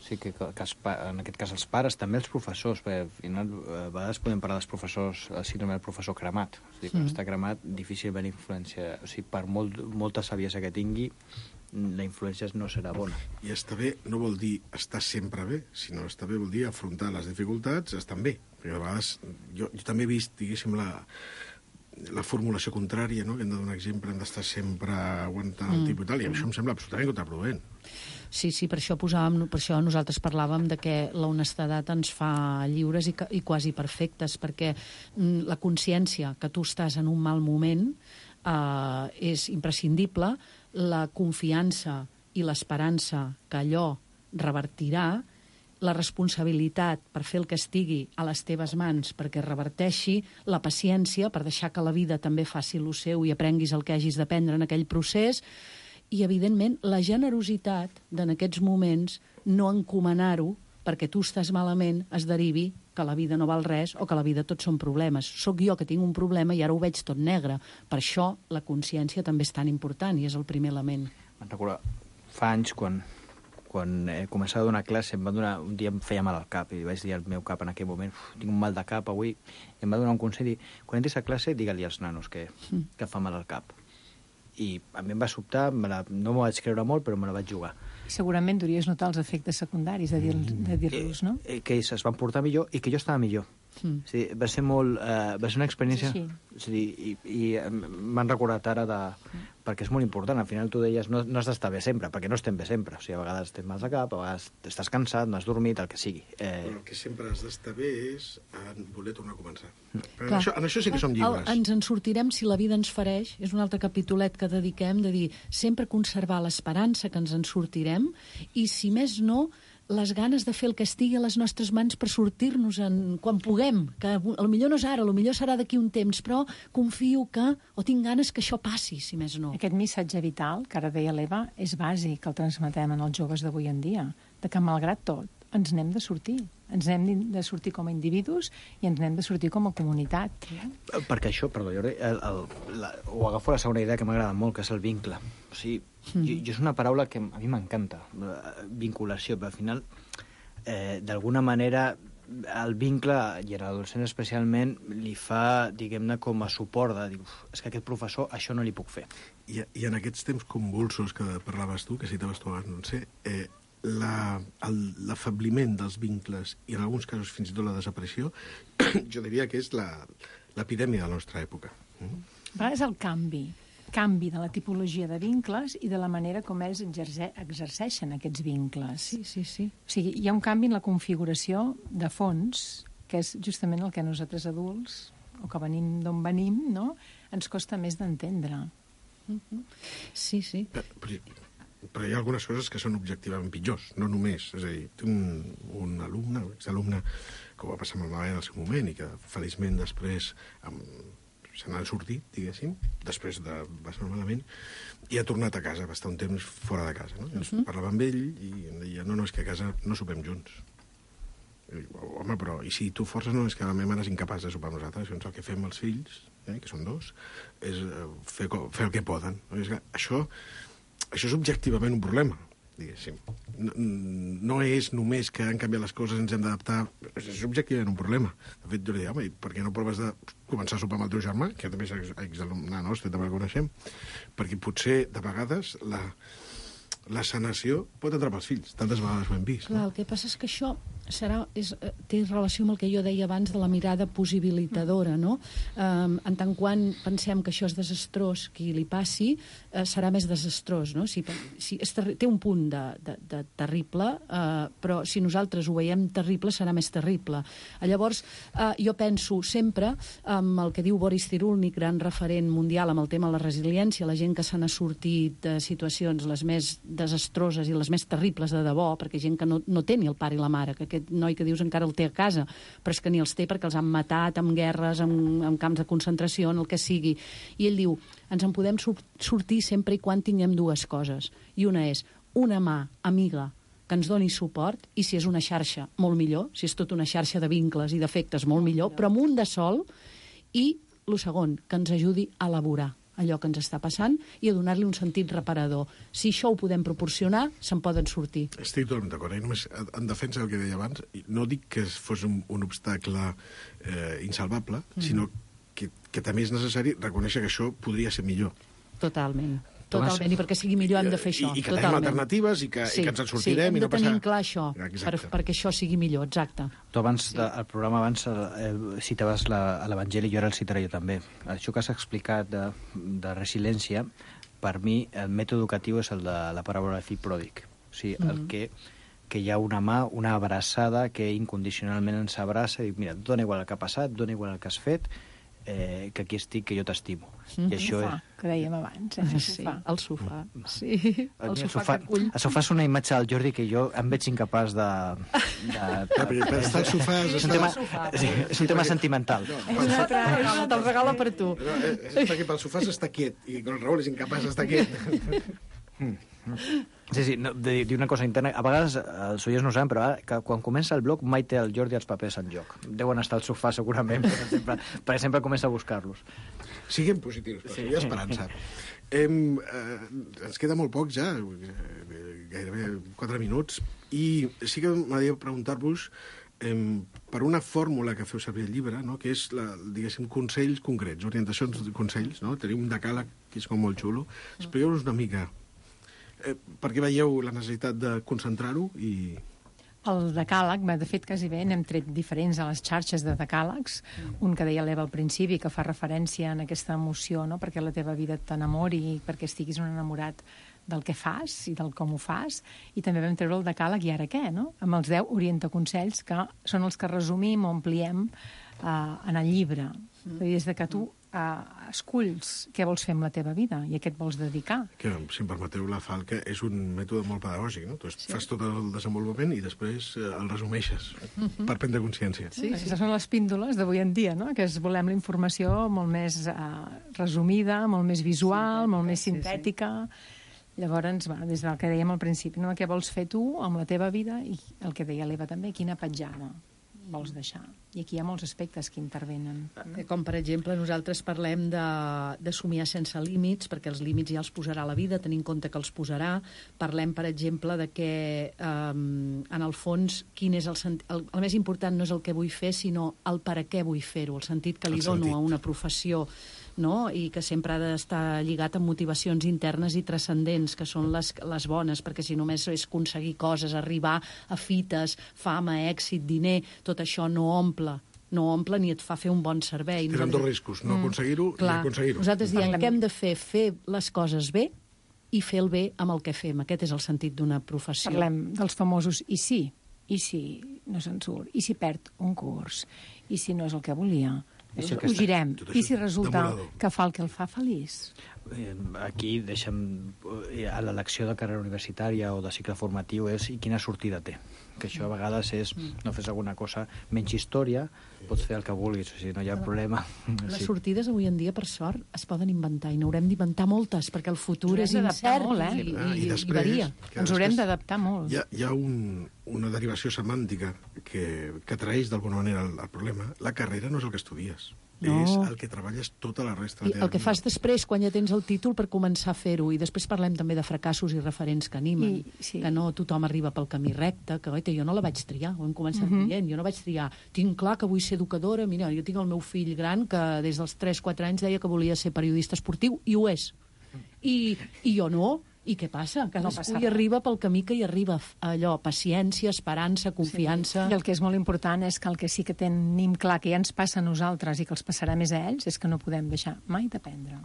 O sigui, que, que els, en aquest cas els pares, també els professors, perquè al final a vegades podem parlar dels professors, el síndrome del professor cremat. O sigui, quan mm. està cremat, difícil haver influència. O sigui, per molt, molta saviesa que tingui, la influència no serà bona. I estar bé no vol dir estar sempre bé, sinó estar bé vol dir afrontar les dificultats estant bé. Perquè a vegades jo, jo també he vist, diguéssim, la, la formulació contrària, no?, que hem de donar exemple, hem d'estar sempre aguantant el mm. tipus i tal, i això em sembla absolutament contraproduent. Sí, sí, per això posàvem, per això nosaltres parlàvem de que la honestedat ens fa lliures i, i quasi perfectes, perquè mm, la consciència que tu estàs en un mal moment eh, és imprescindible, la confiança i l'esperança que allò revertirà, la responsabilitat per fer el que estigui a les teves mans perquè reverteixi, la paciència per deixar que la vida també faci el seu i aprenguis el que hagis d'aprendre en aquell procés, i, evidentment, la generositat d'en aquests moments no encomanar-ho perquè tu estàs malament es derivi que la vida no val res o que la vida tot són problemes. Soc jo que tinc un problema i ara ho veig tot negre. Per això la consciència també és tan important i és el primer element. Me'n recordo, fa anys, quan, quan he començat a donar classe, em va donar, un dia em feia mal al cap i vaig dir al meu cap en aquell moment, tinc un mal de cap avui, i em va donar un consell, dir, quan entris a classe, digue-li als nanos que, mm. que fa mal al cap. I a mi em va sobtar, me la, no m'ho vaig creure molt, però me la vaig jugar. Segurament deuries notar els efectes secundaris de dir-los, de dir-los, no? Eh, que ells es van portar millor i que jo estava millor. Mm. O sigui, va ser molt... Eh, va ser una experiència... Sí, sí. O sigui, i, i m'han recordat ara de... Mm. Perquè és molt important. Al final tu deies, no, no has d'estar bé sempre, perquè no estem bé sempre. O sigui, a vegades tens mal de cap, a vegades estàs cansat, no has dormit, el que sigui. Eh... Però el que sempre has d'estar bé és en voler tornar a començar. Mm. En, això, en això sí que som lliures. El, ens en sortirem si la vida ens fereix. És un altre capitolet que dediquem de dir sempre conservar l'esperança que ens en sortirem i, si més no, les ganes de fer el que estigui a les nostres mans per sortir-nos en quan puguem, que potser no és ara, potser serà d'aquí un temps, però confio que, o tinc ganes que això passi, si més no. Aquest missatge vital, que ara deia l'Eva, és bàsic que el transmetem en els joves d'avui en dia, de que, malgrat tot, ens n'hem de sortir. Ens n'hem de sortir com a individus i ens n'hem de sortir com a comunitat. Perquè això, perdó, Jordi, el, el, la, ho agafo la segona idea que m'agrada molt, que és el vincle. O sigui, mm. jo, jo és una paraula que a mi m'encanta, vinculació, però al final, eh, d'alguna manera, el vincle, i en l'adolescent especialment, li fa, diguem-ne, com a suport de dir, és que aquest professor això no li puc fer. I, i en aquests temps convulsos que parlaves tu, que citaves tu abans, no sé, eh, l'afabliment dels vincles i en alguns casos fins i tot la desaparició, jo diria que és l'epidèmia de la nostra època. Mm? És el canvi, canvi de la tipologia de vincles i de la manera com ells exerce, exerceixen aquests vincles. Sí, sí, sí. O sigui, hi ha un canvi en la configuració de fons, que és justament el que nosaltres adults, o que venim d'on venim, no?, ens costa més d'entendre. Mm-hmm. Sí, sí. Però, però, però hi ha algunes coses que són objectivament pitjors, no només. És a dir, té un, un alumne, un exalumne, que ho va passar malament en el seu moment i que feliçment després amb, se n'han sortit, diguéssim, després de passar malament, i ha tornat a casa, va estar un temps fora de casa. No? I ens uh-huh. parlava amb ell i em deia, no, no, és que a casa no sopem junts. I dic, home, però, i si tu forces, no, és que la meva mare és incapaç de sopar amb nosaltres, doncs el que fem els fills, eh, que són dos, és fer, fer el que poden. No? És que això... Això és objectivament un problema, diguéssim. No, no és només que han canviat les coses, ens hem d'adaptar. És objectivament un problema. De fet, jo li dic, home, per què no proves de començar a sopar amb el teu germà, que també és exalumne nostre, també el coneixem, perquè potser, de vegades, la, la sanació pot atrapar els fills. Tantes vegades ho hem vist. Clar, no? el que passa és que això, serà, és, té relació amb el que jo deia abans de la mirada possibilitadora, no? Um, en tant quan pensem que això és desastrós, qui li passi, uh, serà més desastrós, no? Si, si és terri- té un punt de, de, de terrible, uh, però si nosaltres ho veiem terrible, serà més terrible. Llavors, uh, jo penso sempre amb el que diu Boris Cyrulnik, gran referent mundial amb el tema de la resiliència, la gent que se n'ha sortit de situacions les més desastroses i les més terribles de debò, perquè gent que no, no té ni el pare i la mare, que aquest noi que dius encara el té a casa, però és que ni els té perquè els han matat en guerres, en, en camps de concentració, en el que sigui. I ell diu, ens en podem sur- sortir sempre i quan tinguem dues coses. I una és una mà amiga que ens doni suport, i si és una xarxa, molt millor, si és tota una xarxa de vincles i d'efectes, molt millor, però amb un de sol, i el segon, que ens ajudi a elaborar allò que ens està passant i a donar-li un sentit reparador. Si això ho podem proporcionar, se'n poden sortir. Estic totalment d'acord. Eh? Només en defensa del que deia abans, no dic que fos un, un obstacle eh, insalvable, mm. sinó que, que també és necessari reconèixer que això podria ser millor. Totalment. Totalment, i perquè sigui millor hem de fer això. I, i que totalment. tenim alternatives i que, sí, i que ens en sortirem. Sí, hem i no de tenir passar... clar això, per, perquè això sigui millor, exacte. Tu abans, sí. de, el programa abans eh, citaves la, l'Evangeli, jo ara el citaré jo també. Això que has explicat de, de resiliència, per mi el mètode educatiu és el de la paràbola de fill pròdig. O sigui, mm-hmm. el que, que hi ha una mà, una abraçada que incondicionalment ens abraça i diu, mira, dona igual el que ha passat, dona igual el que has fet, eh, que aquí estic, que jo t'estimo. Mm-hmm. I això és... que dèiem abans, eh? El sofà. Sí, el sofà, sí. El, el sofà, sofà que acull. El sofà és una imatge del Jordi que jo em veig incapaç de... de, de, de, de estar al sofà... És un tema, sí, és un tema sentimental. No, és una altra... Te'l regalo per tu. No, és perquè pel sofà s'està quiet, i el Raül és incapaç d'estar quiet. Sí, sí, no, de dir una cosa interna. A vegades els oients no ho saben, però ara, que quan comença el blog mai té el Jordi els papers en joc. Deuen estar al sofà segurament, perquè sempre, perquè sempre comença a buscar-los. Siguem positius, però sí. Hi ha esperança. Em, eh, ens queda molt poc ja, gairebé quatre minuts, i sí que m'agradaria preguntar-vos em, per una fórmula que feu servir al llibre, no? Que és, la, diguéssim, consells concrets, orientacions de consells, no? Tenim un decàleg que és com molt xulo. Expliqueu-nos una mica eh, per què veieu la necessitat de concentrar-ho i... El decàleg, de fet, quasi bé, n'hem tret diferents a les xarxes de decàlegs. Mm. Un que deia l'Eva al principi, que fa referència a aquesta emoció, no? Perquè la teva vida t'enamori i perquè estiguis un enamorat del que fas i del com ho fas. I també vam treure el decàleg i ara què, no? Amb els deu orientaconsells, que són els que resumim o ampliem eh, en el llibre. Mm. Des de que tu eh, esculls què vols fer amb la teva vida i a què et vols dedicar. Que, si em permeteu, la Falca és un mètode molt pedagògic, no? Tu sí. fas tot el desenvolupament i després eh, el resumeixes mm-hmm. per prendre consciència. Sí, sí. Aquestes són les píndoles d'avui en dia, no? Que es volem la informació molt més eh, resumida, molt més visual, sí, molt més sintètica. Sí, sí. Llavors, bueno, des del que dèiem al principi, no? Què vols fer tu amb la teva vida i el que deia l'Eva també, quina petjada vols deixar. I aquí hi ha molts aspectes que intervenen. Com, per exemple, nosaltres parlem de, de somiar sense límits, perquè els límits ja els posarà la vida, tenint en compte que els posarà. Parlem, per exemple, de que, um, en el fons, quin és el, sent... el, el més important no és el que vull fer, sinó el per a què vull fer-ho, el sentit que li el dono sentit. A una professió, no? I que sempre ha d'estar lligat amb motivacions internes i transcendents, que són les, les bones, perquè si només és aconseguir coses, arribar a fites, fama, èxit, diner, tot això no omple, no omple ni et fa fer un bon servei. Tenen dos riscos, no aconseguir-ho mm, i aconseguir-ho. Nosaltres diem que hem de fer, fer les coses bé i fer el bé amb el que fem. Aquest és el sentit d'una professió. Parlem dels famosos i si, i si no se'n surt, i si perd un curs, i si no és el que volia. I si ho girem. I si resulta que fa el que el fa feliç? Aquí deixem a l'elecció de carrera universitària o de cicle formatiu és i quina sortida té. Que això a vegades és, no fes alguna cosa, menys història, pots fer el que vulguis, o sigui, no hi ha problema. Les sortides avui en dia, per sort, es poden inventar i n'haurem d'inventar moltes, perquè el futur és incert molt, eh? i, ah, i, i, després, i varia. Ens haurem d'adaptar molt. Hi ha, hi ha un, una derivació semàntica que, que traeix d'alguna manera el, el problema. La carrera no és el que estudies. No. És el que treballes tota la resta de la teva vida. El que fas després, quan ja tens el títol, per començar a fer-ho. I després parlem també de fracassos i referents que animen. I, sí. Que no tothom arriba pel camí recte, que oita, jo no la vaig triar, ho hem començat uh-huh. dient, jo no vaig triar. Tinc clar que vull ser educadora, mira, jo tinc el meu fill gran que des dels tres quatre anys deia que volia ser periodista esportiu, i ho és. I, i jo no, I què passa? Cadascú No hi arriba pel camí que hi arriba. Allò, paciència, esperança, confiança... Sí. I el que és molt important és que el que sí que tenim clar que ja ens passa a nosaltres i que els passarà més a ells és que no podem deixar mai d'aprendre.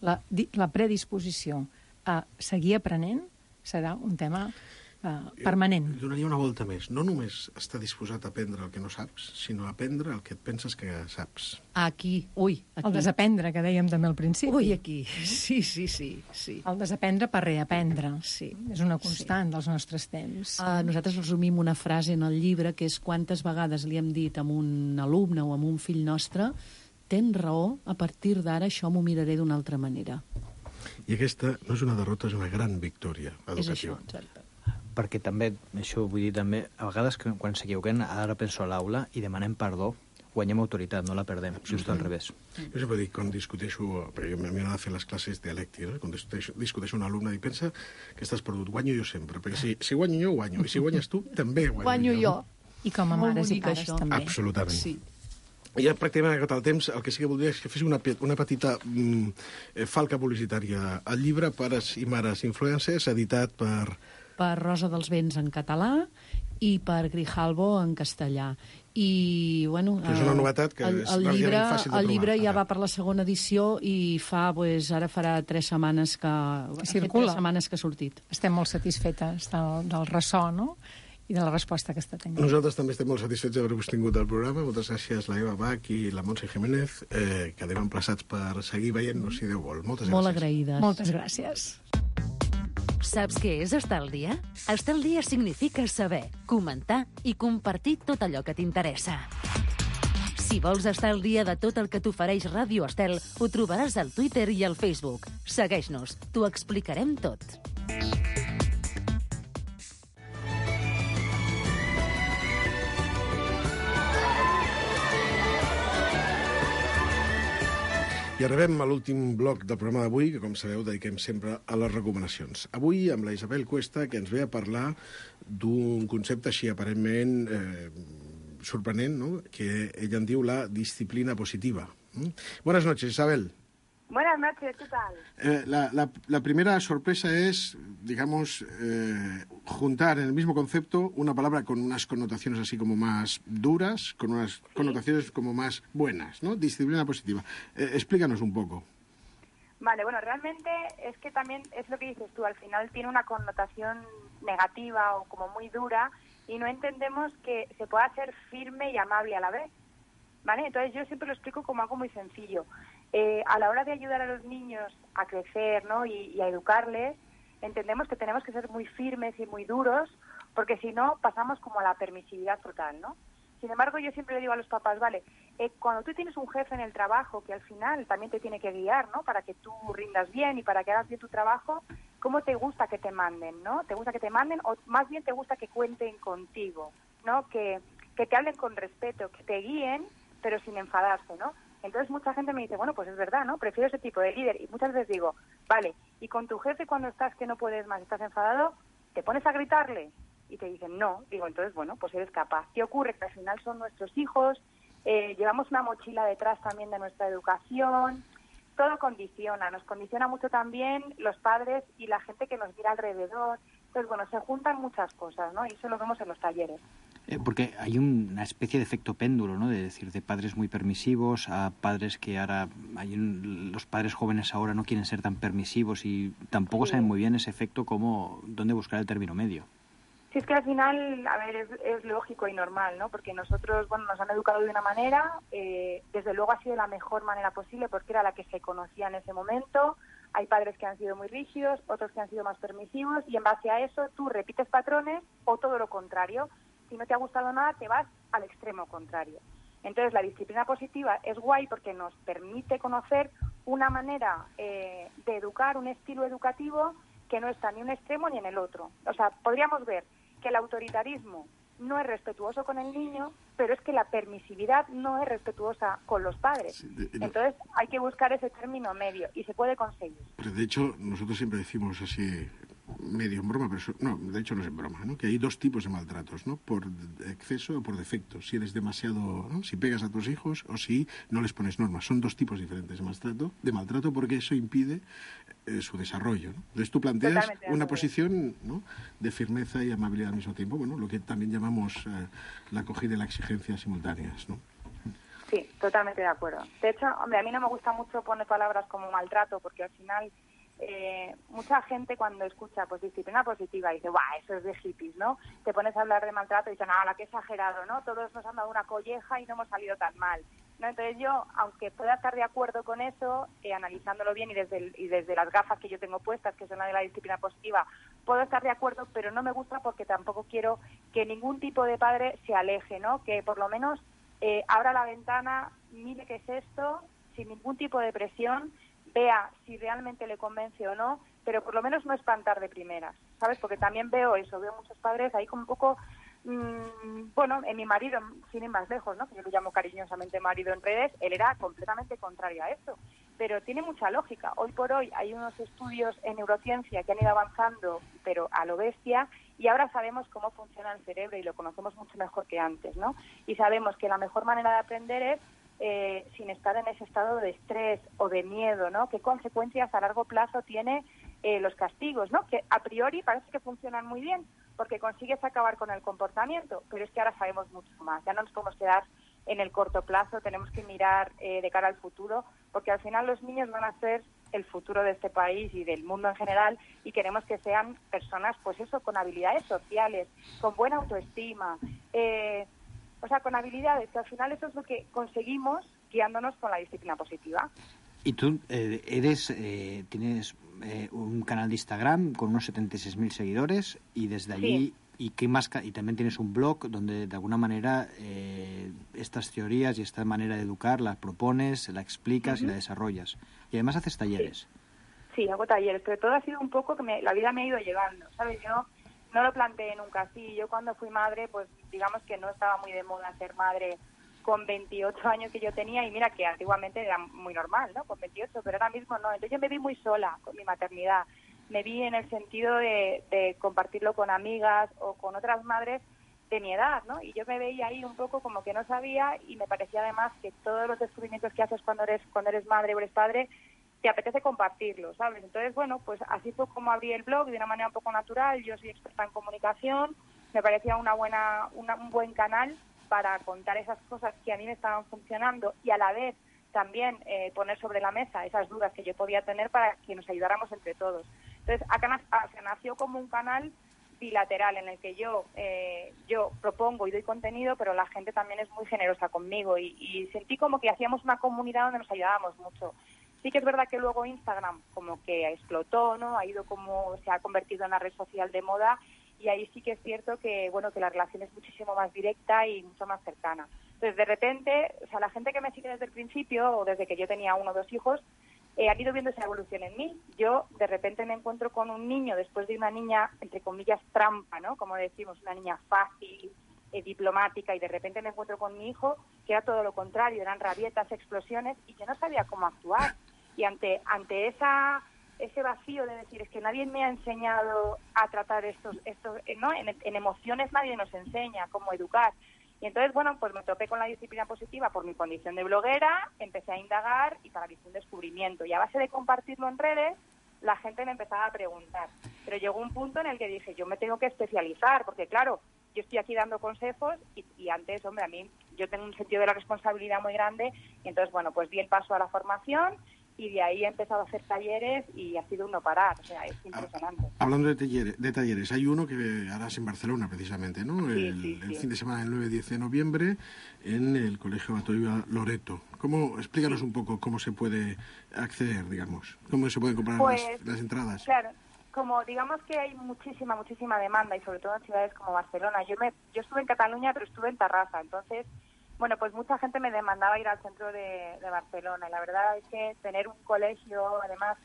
La, la predisposició a seguir aprenent serà un tema uh, permanent. Jo donaria una volta més. No només estar disposat a aprendre el que no saps, sinó a aprendre el que et penses que saps. Aquí, ui, aquí. El desaprendre, que dèiem també al principi. Ui, aquí. Sí, sí, sí. sí. El desaprendre per reaprendre. Sí. És una constant sí. dels nostres temps. Uh, nosaltres resumim una frase en el llibre, que és quantes vegades li hem dit a un alumne o a un fill nostre: tens raó, a partir d'ara això m'ho miraré d'una altra manera. I aquesta no és una derrota, és una gran victòria educativa. És això, exacte. Perquè també, això vull dir també, a vegades que quan s'equivoquem, ara penso a l'aula i demanem perdó, guanyem autoritat, no la perdem, just al revés. Jo sempre dic, quan discuteixo, perquè a mi m'agrada fer les classes dialèctiques, eh? Quan discuteixo, discuteixo un alumne i pensa que estàs perdut, guanyo jo sempre, perquè si, si guanyo jo, guanyo, i si guanyes tu, també guanyo, guanyo jo. jo. I com a mares i pares això. també. Absolutament. Sí. Ja pràcticament acabat el temps, el que sí que voldria és que fes una, una petita mm, falca publicitària. El llibre Pares i Mares Influencers, editat per... Per Rosa dels Vents en català i per Grijalbo en castellà. I, bueno... Que és una novetat que el, és el relativament llibre, fàcil de trobar. El llibre ja ara. va per la segona edició i fa, pues, ara farà tres setmanes que... que circula. Tres setmanes que ha sortit. Estem molt satisfetes del, del ressò, no?, i de la resposta que està tenint. Nosaltres també estem molt satisfets d'haver-vos tingut al programa. Moltes gràcies, la Eva Bach i la Montse Jiménez. Eh, quedem emplaçats per seguir veient-nos, si Déu vol. Moltes gràcies. Molt agraïdes. Moltes gràcies. Saps què és estar al dia? Estar al dia significa saber, comentar i compartir tot allò que t'interessa. Si vols estar al dia de tot el que t'ofereix Ràdio Estel, ho trobaràs al Twitter i al Facebook. Segueix-nos, t'ho explicarem tot. I arribem a l'últim bloc del programa d'avui, que, com sabeu, dediquem sempre a les recomanacions. Avui, amb la Isabel Cuesta, que ens ve a parlar d'un concepte així aparentment eh, sorprenent, no?, que ella en diu la disciplina positiva. ¿Mm? Buenas noches, Isabel. Buenas noches, ¿qué tal? Eh, la, la, la primera sorpresa es, digamos, eh, juntar en el mismo concepto una palabra con unas connotaciones así como más duras, con unas ¿Sí? connotaciones como más buenas, ¿no? Disciplina positiva. Eh, explícanos un poco. Vale, bueno, realmente es que también es lo que dices tú, al final tiene una connotación negativa o como muy dura y no entendemos que se pueda ser firme y amable a la vez, ¿vale? Entonces yo siempre lo explico como algo muy sencillo. Eh, a la hora de ayudar a los niños a crecer, ¿no?, y, y a educarles, entendemos que tenemos que ser muy firmes y muy duros, porque si no pasamos como a la permisividad total, ¿no? Sin embargo, yo siempre le digo a los papás, vale, eh, cuando tú tienes un jefe en el trabajo que al final también te tiene que guiar, ¿no?, para que tú rindas bien y para que hagas bien tu trabajo, ¿cómo te gusta que te manden, no? ¿Te gusta que te manden o más bien te gusta que cuenten contigo, ¿no? Que, que te hablen con respeto, que te guíen, pero sin enfadarse, ¿no? Entonces mucha gente me dice, bueno, pues es verdad, ¿no? Prefiero ese tipo de líder. Y muchas veces digo, vale, y con tu jefe cuando estás que no puedes más, estás enfadado, ¿te pones a gritarle? Y te dicen, no. Digo, entonces, bueno, pues eres capaz. ¿Qué ocurre? Que al final son nuestros hijos, eh, llevamos una mochila detrás también de nuestra educación, todo condiciona, nos condiciona mucho también los padres y la gente que nos mira alrededor. Entonces, bueno, se juntan muchas cosas, ¿no? Y eso lo vemos en los talleres. Eh, porque hay un, una especie de efecto péndulo, ¿no? De decir, de padres muy permisivos a padres que ahora... Hay un, los padres jóvenes ahora no quieren ser tan permisivos y tampoco sí. saben muy bien ese efecto como dónde buscar el término medio. Sí, es que al final, a ver, es, es lógico y normal, ¿no? Porque nosotros, bueno, nos han educado de una manera, eh, desde luego ha sido la mejor manera posible porque era la que se conocía en ese momento. Hay padres que han sido muy rígidos, otros que han sido más permisivos y en base a eso tú repites patrones o todo lo contrario. Si no te ha gustado nada, te vas al extremo contrario. Entonces, la disciplina positiva es guay porque nos permite conocer una manera eh, de educar, un estilo educativo que no está ni en un extremo ni en el otro. O sea, podríamos ver que el autoritarismo no es respetuoso con el niño, pero es que la permisividad no es respetuosa con los padres. Sí, de, de, Entonces, hay que buscar ese término medio y se puede conseguir. Pero de hecho, nosotros siempre decimos así, medio en broma, pero eso, no, de hecho no es en broma, ¿no? Que hay dos tipos de maltratos, ¿no? Por exceso o por defecto. Si eres demasiado, ¿no? Si pegas a tus hijos o si no les pones normas. Son dos tipos diferentes de maltrato, de maltrato porque eso impide eh, su desarrollo, ¿no? Entonces tú planteas una posición, ¿no? De firmeza y amabilidad al mismo tiempo, bueno, lo que también llamamos eh, la acogida y la exigencia simultáneas, ¿no? Sí, totalmente de acuerdo. De hecho, hombre, a mí no me gusta mucho poner palabras como maltrato, porque al final eh, mucha gente cuando escucha pues disciplina positiva dice, ¡buah, eso es de hippies!, ¿no? Te pones a hablar de maltrato y dicen, ¡ah, la que exagerado!, ¿no? Todos nos han dado una colleja y no hemos salido tan mal, ¿no? Entonces yo, aunque pueda estar de acuerdo con eso, eh, analizándolo bien y desde, el, y desde las gafas que yo tengo puestas, que son la de la disciplina positiva, puedo estar de acuerdo, pero no me gusta porque tampoco quiero que ningún tipo de padre se aleje, ¿no? Que por lo menos Eh, abra la ventana, mire qué es esto, sin ningún tipo de presión, vea si realmente le convence o no, pero por lo menos no espantar de primeras, ¿sabes? Porque también veo eso, veo muchos padres ahí como un poco, mmm, bueno, en mi marido, sin ir más lejos, ¿no? Que yo lo llamo cariñosamente marido en redes, él era completamente contrario a esto, pero tiene mucha lógica. Hoy por hoy hay unos estudios en neurociencia que han ido avanzando, pero a lo bestia, y ahora sabemos cómo funciona el cerebro y lo conocemos mucho mejor que antes, ¿no? Y sabemos que la mejor manera de aprender es eh, sin estar en ese estado de estrés o de miedo, ¿no? ¿Qué consecuencias a largo plazo tiene eh, los castigos, ¿no? Que a priori parece que funcionan muy bien porque consigues acabar con el comportamiento, pero es que ahora sabemos mucho más. Ya no nos podemos quedar en el corto plazo, tenemos que mirar eh, de cara al futuro, porque al final los niños van a ser el futuro de este país y del mundo en general, y queremos que sean personas, pues eso, con habilidades sociales, con buena autoestima, eh, o sea, con habilidades, que al final eso es lo que conseguimos guiándonos con la disciplina positiva. Y tú eh, eres, eh, tienes eh, un canal de Instagram con unos setenta y seis mil seguidores, y desde allí... Sí. ¿Y qué más? Y también tienes un blog donde de alguna manera eh, estas teorías y esta manera de educar las propones, la explicas uh-huh. y la desarrollas. Y además haces talleres. Sí, sí, hago talleres, pero todo ha sido un poco que me, la vida me ha ido llevando, ¿sabes? Yo no lo planteé nunca así. Yo cuando fui madre, pues digamos que no estaba muy de moda ser madre con veintiocho años que yo tenía, y mira que antiguamente era muy normal, ¿no? Con veintiocho, pero ahora mismo no. Entonces yo me vi muy sola con mi maternidad. Me vi en el sentido de, de compartirlo con amigas o con otras madres de mi edad, ¿no? Y yo me veía ahí un poco como que no sabía, y me parecía además que todos los descubrimientos que haces cuando eres cuando eres madre o eres padre, te apetece compartirlos, ¿sabes? Entonces, bueno, pues así fue como abrí el blog de una manera un poco natural. Yo soy experta en comunicación, me parecía una buena una, un buen canal para contar esas cosas que a mí me estaban funcionando y a la vez también eh, poner sobre la mesa esas dudas que yo podía tener para que nos ayudáramos entre todos. Entonces, acá se nació como un canal bilateral en el que yo eh, yo propongo y doy contenido, pero la gente también es muy generosa conmigo, y, y sentí como que hacíamos una comunidad donde nos ayudábamos mucho. Sí que es verdad que luego Instagram como que explotó, ¿no? Ha ido como, se ha convertido en una red social de moda, y ahí sí que es cierto que, bueno, que la relación es muchísimo más directa y mucho más cercana. Entonces, de repente, o sea, la gente que me sigue desde el principio, o desde que yo tenía uno o dos hijos, Eh, han ido viendo esa evolución en mí. Yo de repente me encuentro con un niño después de una niña, entre comillas, trampa, ¿no? Como decimos, una niña fácil, eh, diplomática, y de repente me encuentro con mi hijo que era todo lo contrario, eran rabietas, explosiones, y yo no sabía cómo actuar. Y ante ante esa ese vacío de decir, es que nadie me ha enseñado a tratar estos, estos eh, ¿no? En, en emociones nadie nos enseña cómo educar. Y entonces, bueno, pues me topé con la disciplina positiva por mi condición de bloguera, empecé a indagar y para mí fue un descubrimiento. Y a base de compartirlo en redes, la gente me empezaba a preguntar. Pero llegó un punto en el que dije, yo me tengo que especializar, porque claro, yo estoy aquí dando consejos y, y antes, hombre, a mí yo tengo un sentido de la responsabilidad muy grande, y entonces, bueno, pues di el paso a la formación, y de ahí he empezado a hacer talleres y ha sido un no parar, o sea, es impresionante. Hablando de talleres, de talleres hay uno que harás en Barcelona precisamente, ¿no? Sí, el sí, sí. el fin de semana del nueve y diez de noviembre en el Colegio Batoiba Loreto. ¿Cómo, explícanos un poco cómo se puede acceder, digamos? ¿Cómo se pueden comprar pues, las, las entradas? Claro, como digamos que hay muchísima, muchísima demanda, y sobre todo en ciudades como Barcelona. Yo me yo estuve en Cataluña, pero estuve en Tarrasa, entonces... Bueno, pues mucha gente me demandaba ir al centro de, de Barcelona, y la verdad es que tener un colegio, además,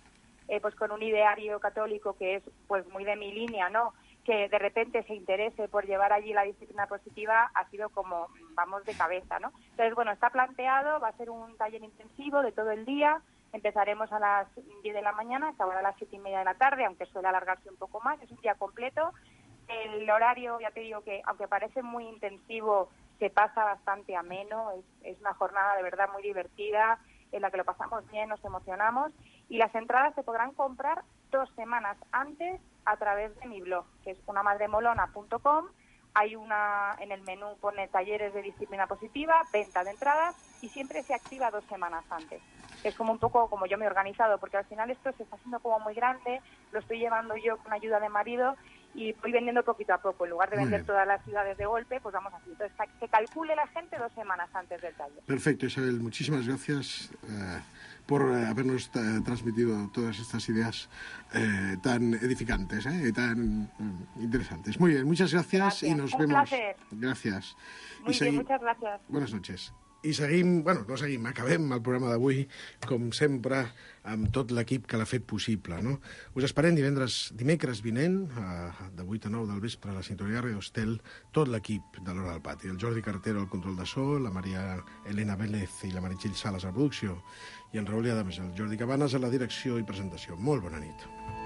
eh, pues con un ideario católico que es pues muy de mi línea, ¿no? Que de repente se interese por llevar allí la disciplina positiva, ha sido como, vamos de cabeza, ¿no? Entonces, bueno, está planteado, va a ser un taller intensivo de todo el día, Empezaremos a las diez de la mañana, acabará a las siete y media de la tarde, aunque suele alargarse un poco más, es un día completo. El horario, ya te digo que, aunque parece muy intensivo, se pasa bastante ameno, es, es una jornada de verdad muy divertida, en la que lo pasamos bien, nos emocionamos, y las entradas se podrán comprar dos semanas antes a través de mi blog, que es una madre molona punto com. Hay una, en el menú pone talleres de disciplina positiva, venta de entradas, y siempre se activa dos semanas antes. Es como un poco como yo me he organizado, porque al final esto se está haciendo como muy grande, lo estoy llevando yo con ayuda de marido, y voy vendiendo poquito a poco. En lugar de Muy vender bien. todas las ciudades de golpe, pues vamos así. Entonces, que calcule la gente dos semanas antes del taller. Perfecto, Isabel. Muchísimas gracias eh, por eh, habernos eh, transmitido todas estas ideas eh, tan edificantes eh, y tan eh, interesantes. Muy bien, muchas gracias, Gracias. y nos Un vemos. placer. Gràcies. Muy I bien, segui- muchas gracias. Buenas noches. I seguim, bueno, no seguim, acabem el programa d'avui, com sempre, amb tot l'equip que l'ha fet possible, no? Us esperem divendres, dimecres vinent, a, de vuit a nou del vespre, a la sintonia Ràdio Estel, tot l'equip de l'Hora del Pati. El Jordi Cartero al control de so, la Maria Elena Vélez i la Meritxell Sales a la producció, i en Raül Adames, el Jordi Cabanes a la direcció i presentació. Molt bona nit.